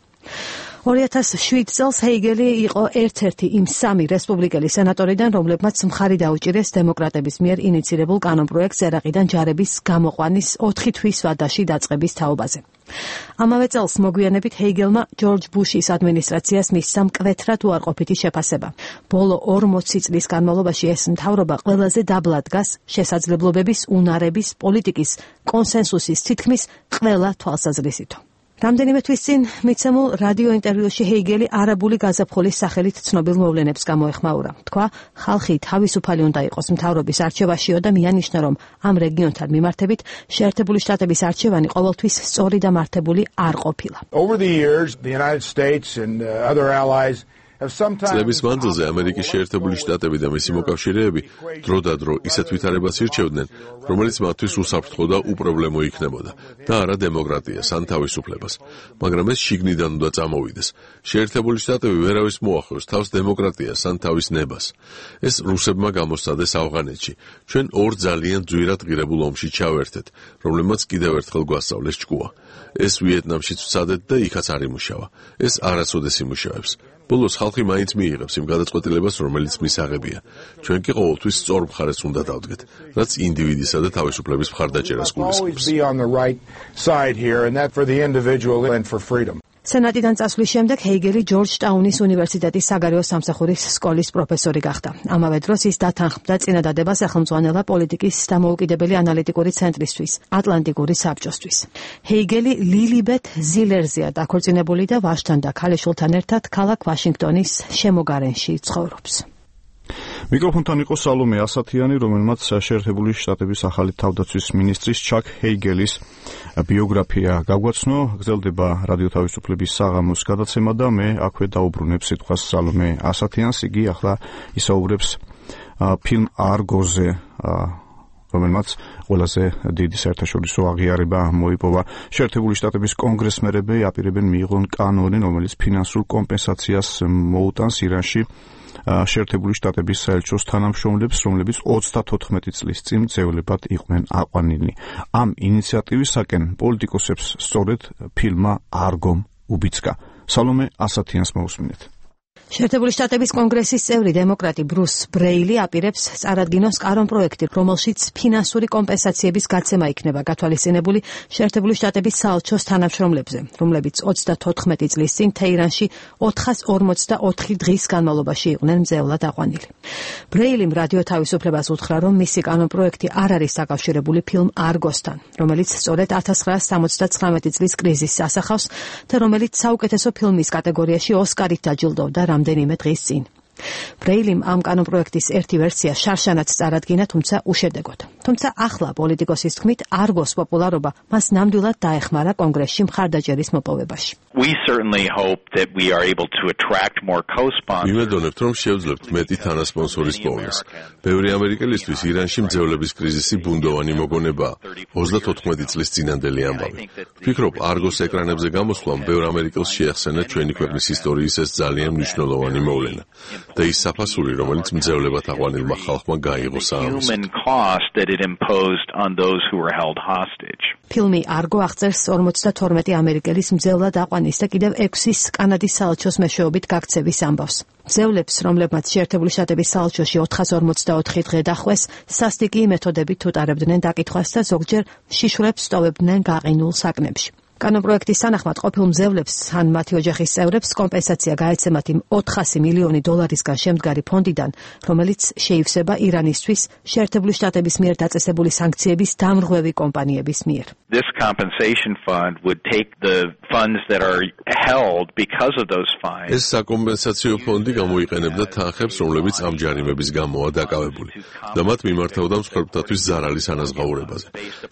2007 წელს ჰეიგელი იყო ერთ-ერთი იმ 3 რესპუბლიკელი სენატორიდან, რომლებმაც მხარი დაუჭირეს დემოკრატების მიერ ინიცირებულ კანონპროექტს ერაყიდან ჯარების გამოყვანის 4 თვის ვადაში დაწყების თაობაზე. ამავე წელს მოგვიანებით ჰეიგელმა ჯორჯ ბუშის ადმინისტრაციას მისცა მკვეთრად უარყოფითი შეფასება. ბოლო 40 წლის განმავლობაში ეს მთავრობა ყველაზე დაბლა დგას შესაძლებლობების, უნარების, პოლიტიკის, კონსენსუსის თითქმის ყველა თვალსაზრისით. რამდენიმე თვის წინ მიცემულ რადიო ინტერვიუში ჰეიგელი არაბული გაზაფხულის სახელით ცნობილ მოვლენებს გამოეხმაურა. თქვა, ხალხი თავისუფალი უნდა იყოს მთავრობის არჩევაშიო და მიანიშნა, რომ ამ რეგიონთან მიმართებით შეერთებული შტატების არჩევანი ყოველთვის სწორი და მართებული არ ყოფილა. Over the years, the United States and other allies წლების მანძილზე ამერიკის შეერთებული შტატები და მისი მოკავშირეები დროდადრო ისეთ ვითარებას ირჩევდნენ, რომელიც მათთვის უსაფრთხო და უპრობლემო იქნებოდა და არა დემოკრატიას ან თავისუფლებას, მაგრამ ეს შიგნიდან უნდა წამოვიდეს. შეერთებული შტატები ვერავის მოახლოს თავს დემოკრატიას ან თავის ნებას. ეს რუსებმა გამოსცადეს ავღანეთში. ჩვენ ორ ძალიან ძვირად ღირებულ ომში ჩავერთეთ, რომლებმაც კიდევ ერთხელ გვასწავლეს ჭკუა. ეს ვიეტნამშიც ვცადეთ და იქაც არ იმუშავა. ეს არასოდეს იმუშავებს. ბოლოს ხალხი მაინც მიიღებს იმ გადაწყვეტილებას, რომელიც მისაღებია. ჩვენ კი ყოველთვის სწორ მხარეს უნდა დავდგეთ, რაც ინდივიდისა და თავისუფლების მხარდაჭერას გულისხმობს. სენატიდან წასვლის შემდეგ ჰეიგელი ჯორჯტაუნის უნივერსიტეტის საგარეო სამსახურის სკოლის პროფესორი გახდა. ამავე დროს ის დათანხმდა წინადადება სახელმწიფო პოლიტიკის დამოუკიდებელი ანალიტიკური ცენტრისთვის, ატლანტიკური საბჭოსთვის. ჰეიგელი ლილიბეთ ზილერზეა დაქორწინებული და ვაჟთან და ქალიშვილთან ერთად ქალაქ ვაშინგტონის შემოგარენში ცხოვრობს. მიკროფონთან იყო სალომე ასათიანი, რომელმაც შეერთებული შტატების ახალი თავდაცვის მინისტრის ჩაკ ჰეიგელის ბიოგრაფია გაგვაცნო. გრძელდება რადიო თავისუფლების საღამოს გადაცემა და მე აქვე დაუბრუნებ სიტყვას სალომე ასათიანს. იგი ახლა ისაუბრებს ფილმ არგოზე, რომელმაც ყველაზე დიდი საერთაშორისო აღიარება მოიპოვა. შეერთებული შტატების კონგრესმენები აპირებენ მიიღონ კანონი, რომელიც ფინანსურ კომპენსაციას მოუტანს ირანში შეერთებული შტატების საელჩოს თანამშრომლებს, რომლებიც 34 წლის წინ ძევლებად იყვნენ აყვანილნი. ამ ინიციატივისაკენ პოლიტიკოსებს სწორედ ფილმმა არგომ უბიძგა. სალომე ასათიანს მოусმინეთ. შეერთებული შტატების კონგრესის წევრი დემოკრატი ბრუს ბრეილი აპირებს წარადგინოს კანონპროექტი, რომელშიც ფინანსური კომპენსაციების გაცემა იქნება გათვალისწინებული შეერთებული შტატების საელჩოს თანამშრომლებზე, რომლებიც 34 წლის წინ თეირანში 444 დღის განმავლობაში იყვნენ მძევლად აყვანილი. ბრეილიმ რადიო თავისუფლებას უთხრა, რომ მისი კანონპროექტი არ არის დაკავშირებული ფილმ არგოსთან, რომელიც სწორედ 1979 წლის კრიზისს ასახავს და რომელიც საუკეთესო ფილმის კატეგორიაში ოსკარით დაჯილდოვდა რამდენიმე დღის წინ. ბრეილიმ ამ კანონპროექტის ერთი ვერსია შარშანაც წარადგინა, თუმცა უშედეგოდ. თუმცა ახლა პოლიტიკოსის თქმით არგოს პოპულარობა მას ნამდვილად დაეხმარა კონგრესში მხარდაჭერის მოპოვებაში. We certainly hope that we are able to attract more co-sponsors. იმედოვნებთ, რომ შევძლებთ მეტი თანასპონსორის პოვნას. ბევრი ამერიკელისთვის ირანში მძევლების კრიზისი ბუნდოვანი მოგონებაა. 34 წლის წინანდელი ამბავი. ვფიქრობ, არგოს ეკრანებზე გამოსვლამ ბევრ ამერიკელს შეახსენა ჩვენი ქვეყნის ისტორიის ეს ძალიან მნიშვნელოვანი მოვლენა. და ის საფასური, რომელიც მძევლებად აყვანილმა ხალხმა გაიღო საამის. ფილმი არგო აღწერს 52 ამერიკელის მძევლად აყვანის და კიდევ 6-ის კანადის საელჩოს მეშვეობით გაქცევის ამბავს. მძევლებს, რომლებმაც შეერთებული შტატების საელჩოში 444 დღე დახვეს, სასტიკი მეთოდებით უტარებდნენ დაკითხვას და ზოგჯერ შიშვრებს სტოვებდნენ გაყინულ საკნებში. კანონპროექტის თანახმად ყოფილ მძევლებს ან მათი ოჯახის წევრებს კომპენსაცია გაეცემათ იმ $400 მილიონი დოლარისგან შემდგარი ფონდიდან, რომელიც შეივსება ირანისთვის შეერთებული შტატების მიერ დაწესებული სანქციების დამრღვევი კომპანიების მიერ. This compensation fund would take the funds that are held because of those fines. ეს საკომპენსაციო ფონდი გამოიყენებდა თანხებს, რომლებიც ამ ჯარიმების გამოა დაკავებული და მათ მიმართავდა მსხვერპლთათვის ზარალის ანაზღაურებაზე.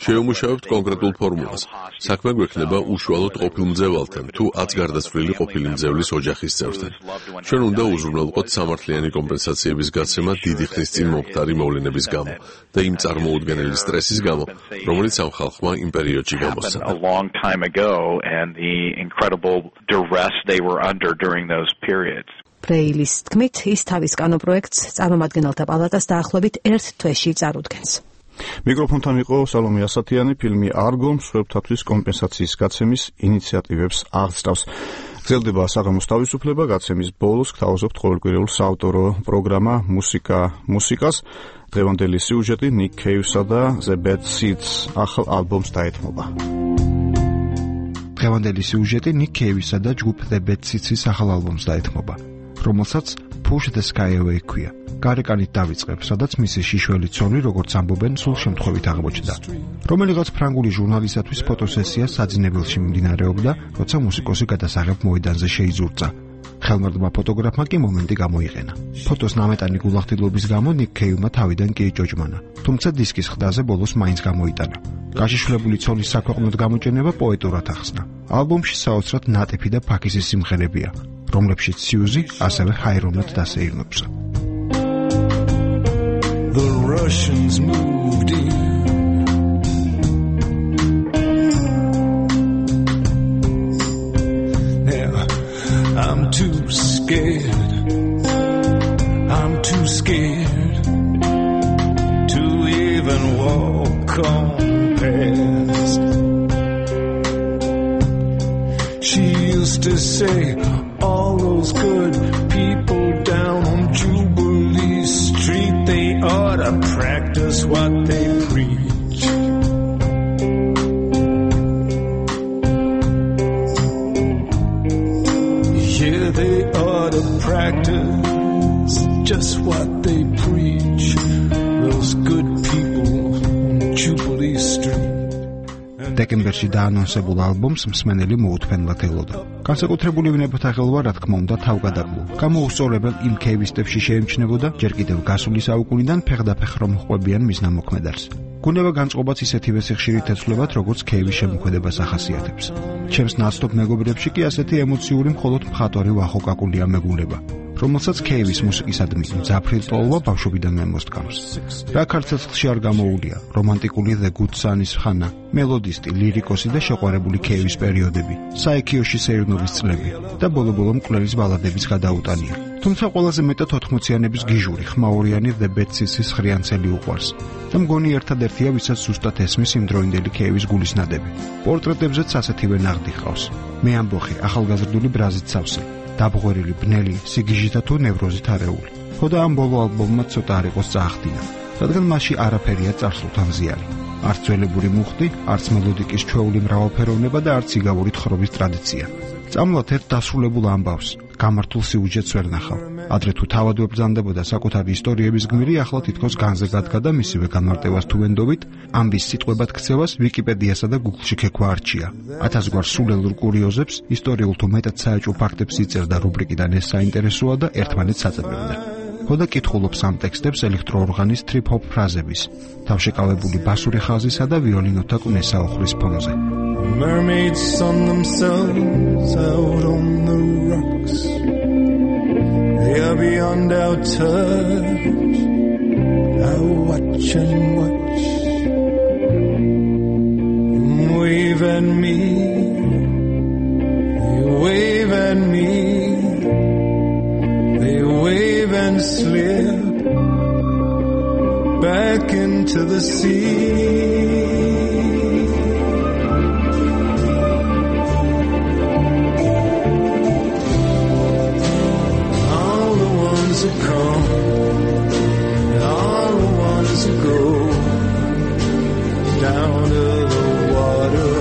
Შეუმუშავებთ კონკრეტულ ფორმულას. საქმე გვექნება უშუალოდ ყოფილ მძევალთან თუ 10 გარდაცვლილი ყოფილი მძევლის ოჯახის წევრთან. ჩვენ უნდა უზრუნველყოთ სამართლიანი კომპენსაციების გაცემა დიდი ხნის წინ მომხდარი მოვლენების გამო და იმ წარმოუდგენელი სტრესის გამო, რომელიც ამ ხალხმა იმ პერიოდში გამოსცა. A long time ago and the incredible duress they were under during those periods. პრეილის თქმით, ის თავის კანონპროექტს წარმომადგენელთა პალატას დაახლოებით 1 თვეში წარუდგენს. მიკროფონთან იყო სალომე ასათიანი. ფილმი „არგო“ მსხვერპლთათვის კომპენსაციის გაცემის ინიციატივებს აღწევს. გრძელდება საღამოს თავისუფლება, გაცემის ბოლოს გთავაზობთ ყოველკვირეულ საავტორო პროგრამა მუსიკას. დღევანდელი სიუჟეტი Nick Cave-სა და The Bad Seeds ახალ ალბომს დაეთმობა. დღევანდელი სიუჟეტი Nick Cave-სა და ჯგუფ The Bad Seeds-ის ახალ ალბომს დაეთმობა, რომელსაც Push the Sky Away ქვია. გარეკანით დავიწყებ, სადაც მისი შიშველი ცოლი, როგორც ამბობენ, სულ შემთხვევით აღმოჩნდა. რომელიღაც ფრანგული ჟურნალისტის ფოტოსესია საძინებელში მიმდინარეობდა, როცა მუსიკოსი გადასაღებ მოედანზე შეიზურწა. ხელმარდმა ფოტოგრაფმა კი მომენტი გამოიყენა. ფოტოს ნამეტანი გულახდილობის გამო Nick Cave-მა თავიდან კი იჭოჭმანა, თუმცა დისკის ხდაზე ბოლოს მაინც გამოიტანა. გაშიშვლებული ცოლის საქვეყნოდ გამოჩენება პოეტურად ახსნა. ალბომში საოცრად ნატიფი და ფაქიზი სიმღერებია, რომლებშიც Suzy ასევე ჰაირონად დასეირნობს. The Russians moved in. Now I'm too scared. I'm too scared to even walk on past. She used to say all those good people down on Jubilee Street, they ought to practice what they preach. Yeah, they ought to practice just what they preach. Those good people on Jubilee Street. დეკემბერში დაანონსებულ ალბომს მსმენელი მოუთმენლად ელოდა. განსაკუთრებული ვნებათა ხელვა, რა თქმა უნდა, თავგადაგლო. გამოუსწორებელ იმ კეივისტებში შეიმჩნევოდა ჯერ კიდევ გასული საუკუნიდან ფეხდაფეხ რომ ხვებიან მის ნამოქმედარს. გუნება განწყობაც ისეთივე სიხშირით ეცვლებათ, როგორც კეივის შემოქმედებას ახასიათებს. ჩემს ნაცნობ მეგობრებში კი ასეთი ემოციური მხოლოდ მხატვარი ვახოკაკულია მეგულება, რომელსაც კეივის მუსიკისადმი მძაფრი ტოლვა ბავშვობიდან მემოსტკამს. რა ქართლში არ გამოუულია რომანტიკული The Good Son-ის ხანა, მელოდისტი, ლირიკოსი და შეყვარებული კეივის პერიოდები, საიქიოში სეირნოვის წლები და ბოლო-ბოლო მკვლელის ბალადების გადაუტანია. თუმცა ყველაზე მეტად 80-იანების გიჟური, ხმაურიანი The Bad Seeds-ის ხრიანცელი უყვარს და მგონი ერთადერთია, ვისაც ზუსტად ესმის იმდროინდელი კეივის გულისნადები. პორტრეტებზეც ასეთივე ნაღდი ჰყავს. მე ამბოხი, ახალგაზრდული ბრაზით სავსე, დაბღვერილი, ბნელი, სიგიჟითა თუ ნევროზით არეული. ხოდა ამ ბოლო ალბომმა ცოტა არ იყოს წაახდინა, რადგან მასში არაფერია წარსულთან ზიანი. არც ძველებური მუხტი, არც მელოდიკის ჩვეული მრავალფეროვნება და არც იგავური თხრობის ტრადიცია. წამლათ ერთ დასრულებულ ამბავს, გამართულ სიუჟეტს ვერ ნახავ. ადრე თუ თავად ვებრძანდებოდა საკუთარი ისტორიების გმირი, ახლა თითქოს განზე გადგა და მისივე განმარტებას თუ ვენდობით, ამბის სიტყვებად ქცევას ვიკიპედიასა და Google-ში ქექვა არჩია. 1000 გვარ სულელურ კურიოზებს, ისტორიულ თუ მეტად საეჭვო ფაქტებს იწერდა რუბრიკიდან ეს საინტერესოა და ერთმანეთს აწებებდა. ხოდა კითხულობს ამ ტექსტებს ელექტროორღანის trip-hop ფრაზების, თავშეკავებული ბასური ხაზისა და ვიოლინოთა კვნესაუხლის ფონზე. Mermaids sun themselves out on the rocks. They are beyond our touch. I watch and watch. You wave at me. You wave at me. They wave and slip back into the sea. Come, and all the ones who go down to the water.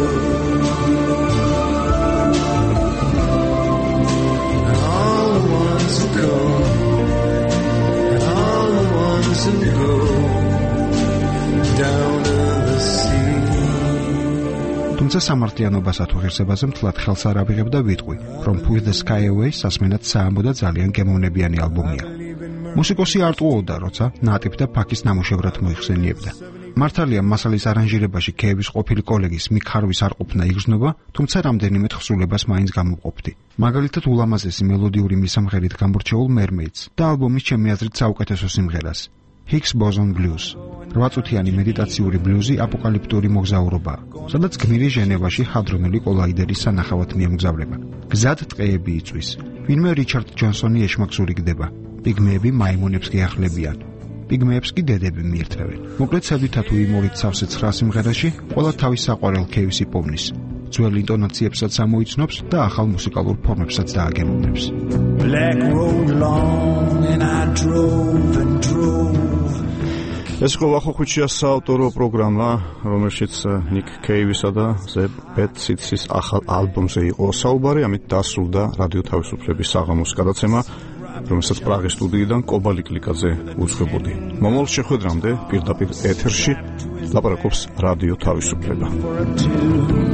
თუმცა სამართლიანობას ათუღირსებაზე მთლად ხელს არ ავიღებ და ვიტყვი, რომ Push the Sky Away სასმენად საამბო და ძალიან გემოვნებიანი ალბომია. მუსიკოსი არ ტყუოდა, როცა ნატიფ და ფაქის ნამუშევრად მოიხსენიებდა. მართალია მასალის არანჟირებაში ქეების ყოფილი კოლეგის მიკ ჰარვის არ ყოფნა იგრძნობა, თუმცა რამდენიმე თხზულებას მაინც გამოვყოფდი. მაგალითად ულამაზესი მელოდიური მისამღერით გამორჩეულ Mermaids და ალბომის ჩემი აზრით საუკეთესო სიმღერას Higgs Boson Blues. 8 წუთიანი მედიტაციური ბლუზი აპოკალიფტური მოგზაურობაა, სადაც გმირი ჟენევაში ჰადრონელი კოლაიდერის სანახავად მიემგზავრება. გზად ტყეები იწვის. ვინმე რიჩარდ ჯონსონი ეშმაკსური გდება. პიგმეები მაიმუნებს გეახლებიან. პიგმეებს კი დედები მიირთმევენ. მოკლედ ცევით თუ იმორით სავსე 9 სიმღერაში ყველა თავის საყვარელ ქეივს იპოვნის. ძველ ინტონაციებსაც ამოიცნობს და ახალ მუსიკალურ ფორმებსაც დააგემოვნებს. Black road long and I drove and drove. ეს ყოახოხუჩიას საავტორო პროგრამა, რომელშიც ნიკ კეივისა და ზებ ბედ სიტსის ახალ ალბომზე იყო საუბარი, ამით დასრულდა რადიო თავისუფლების საღამოს გადაცემა, რომელსაც პრაღის სტუდიიდან კობალი კლიკაძე უძღვებოდი. მომავალ შეხვედრამდე პირდაპირ ეთერში ლაპარაკობს რადიო თავისუფლება.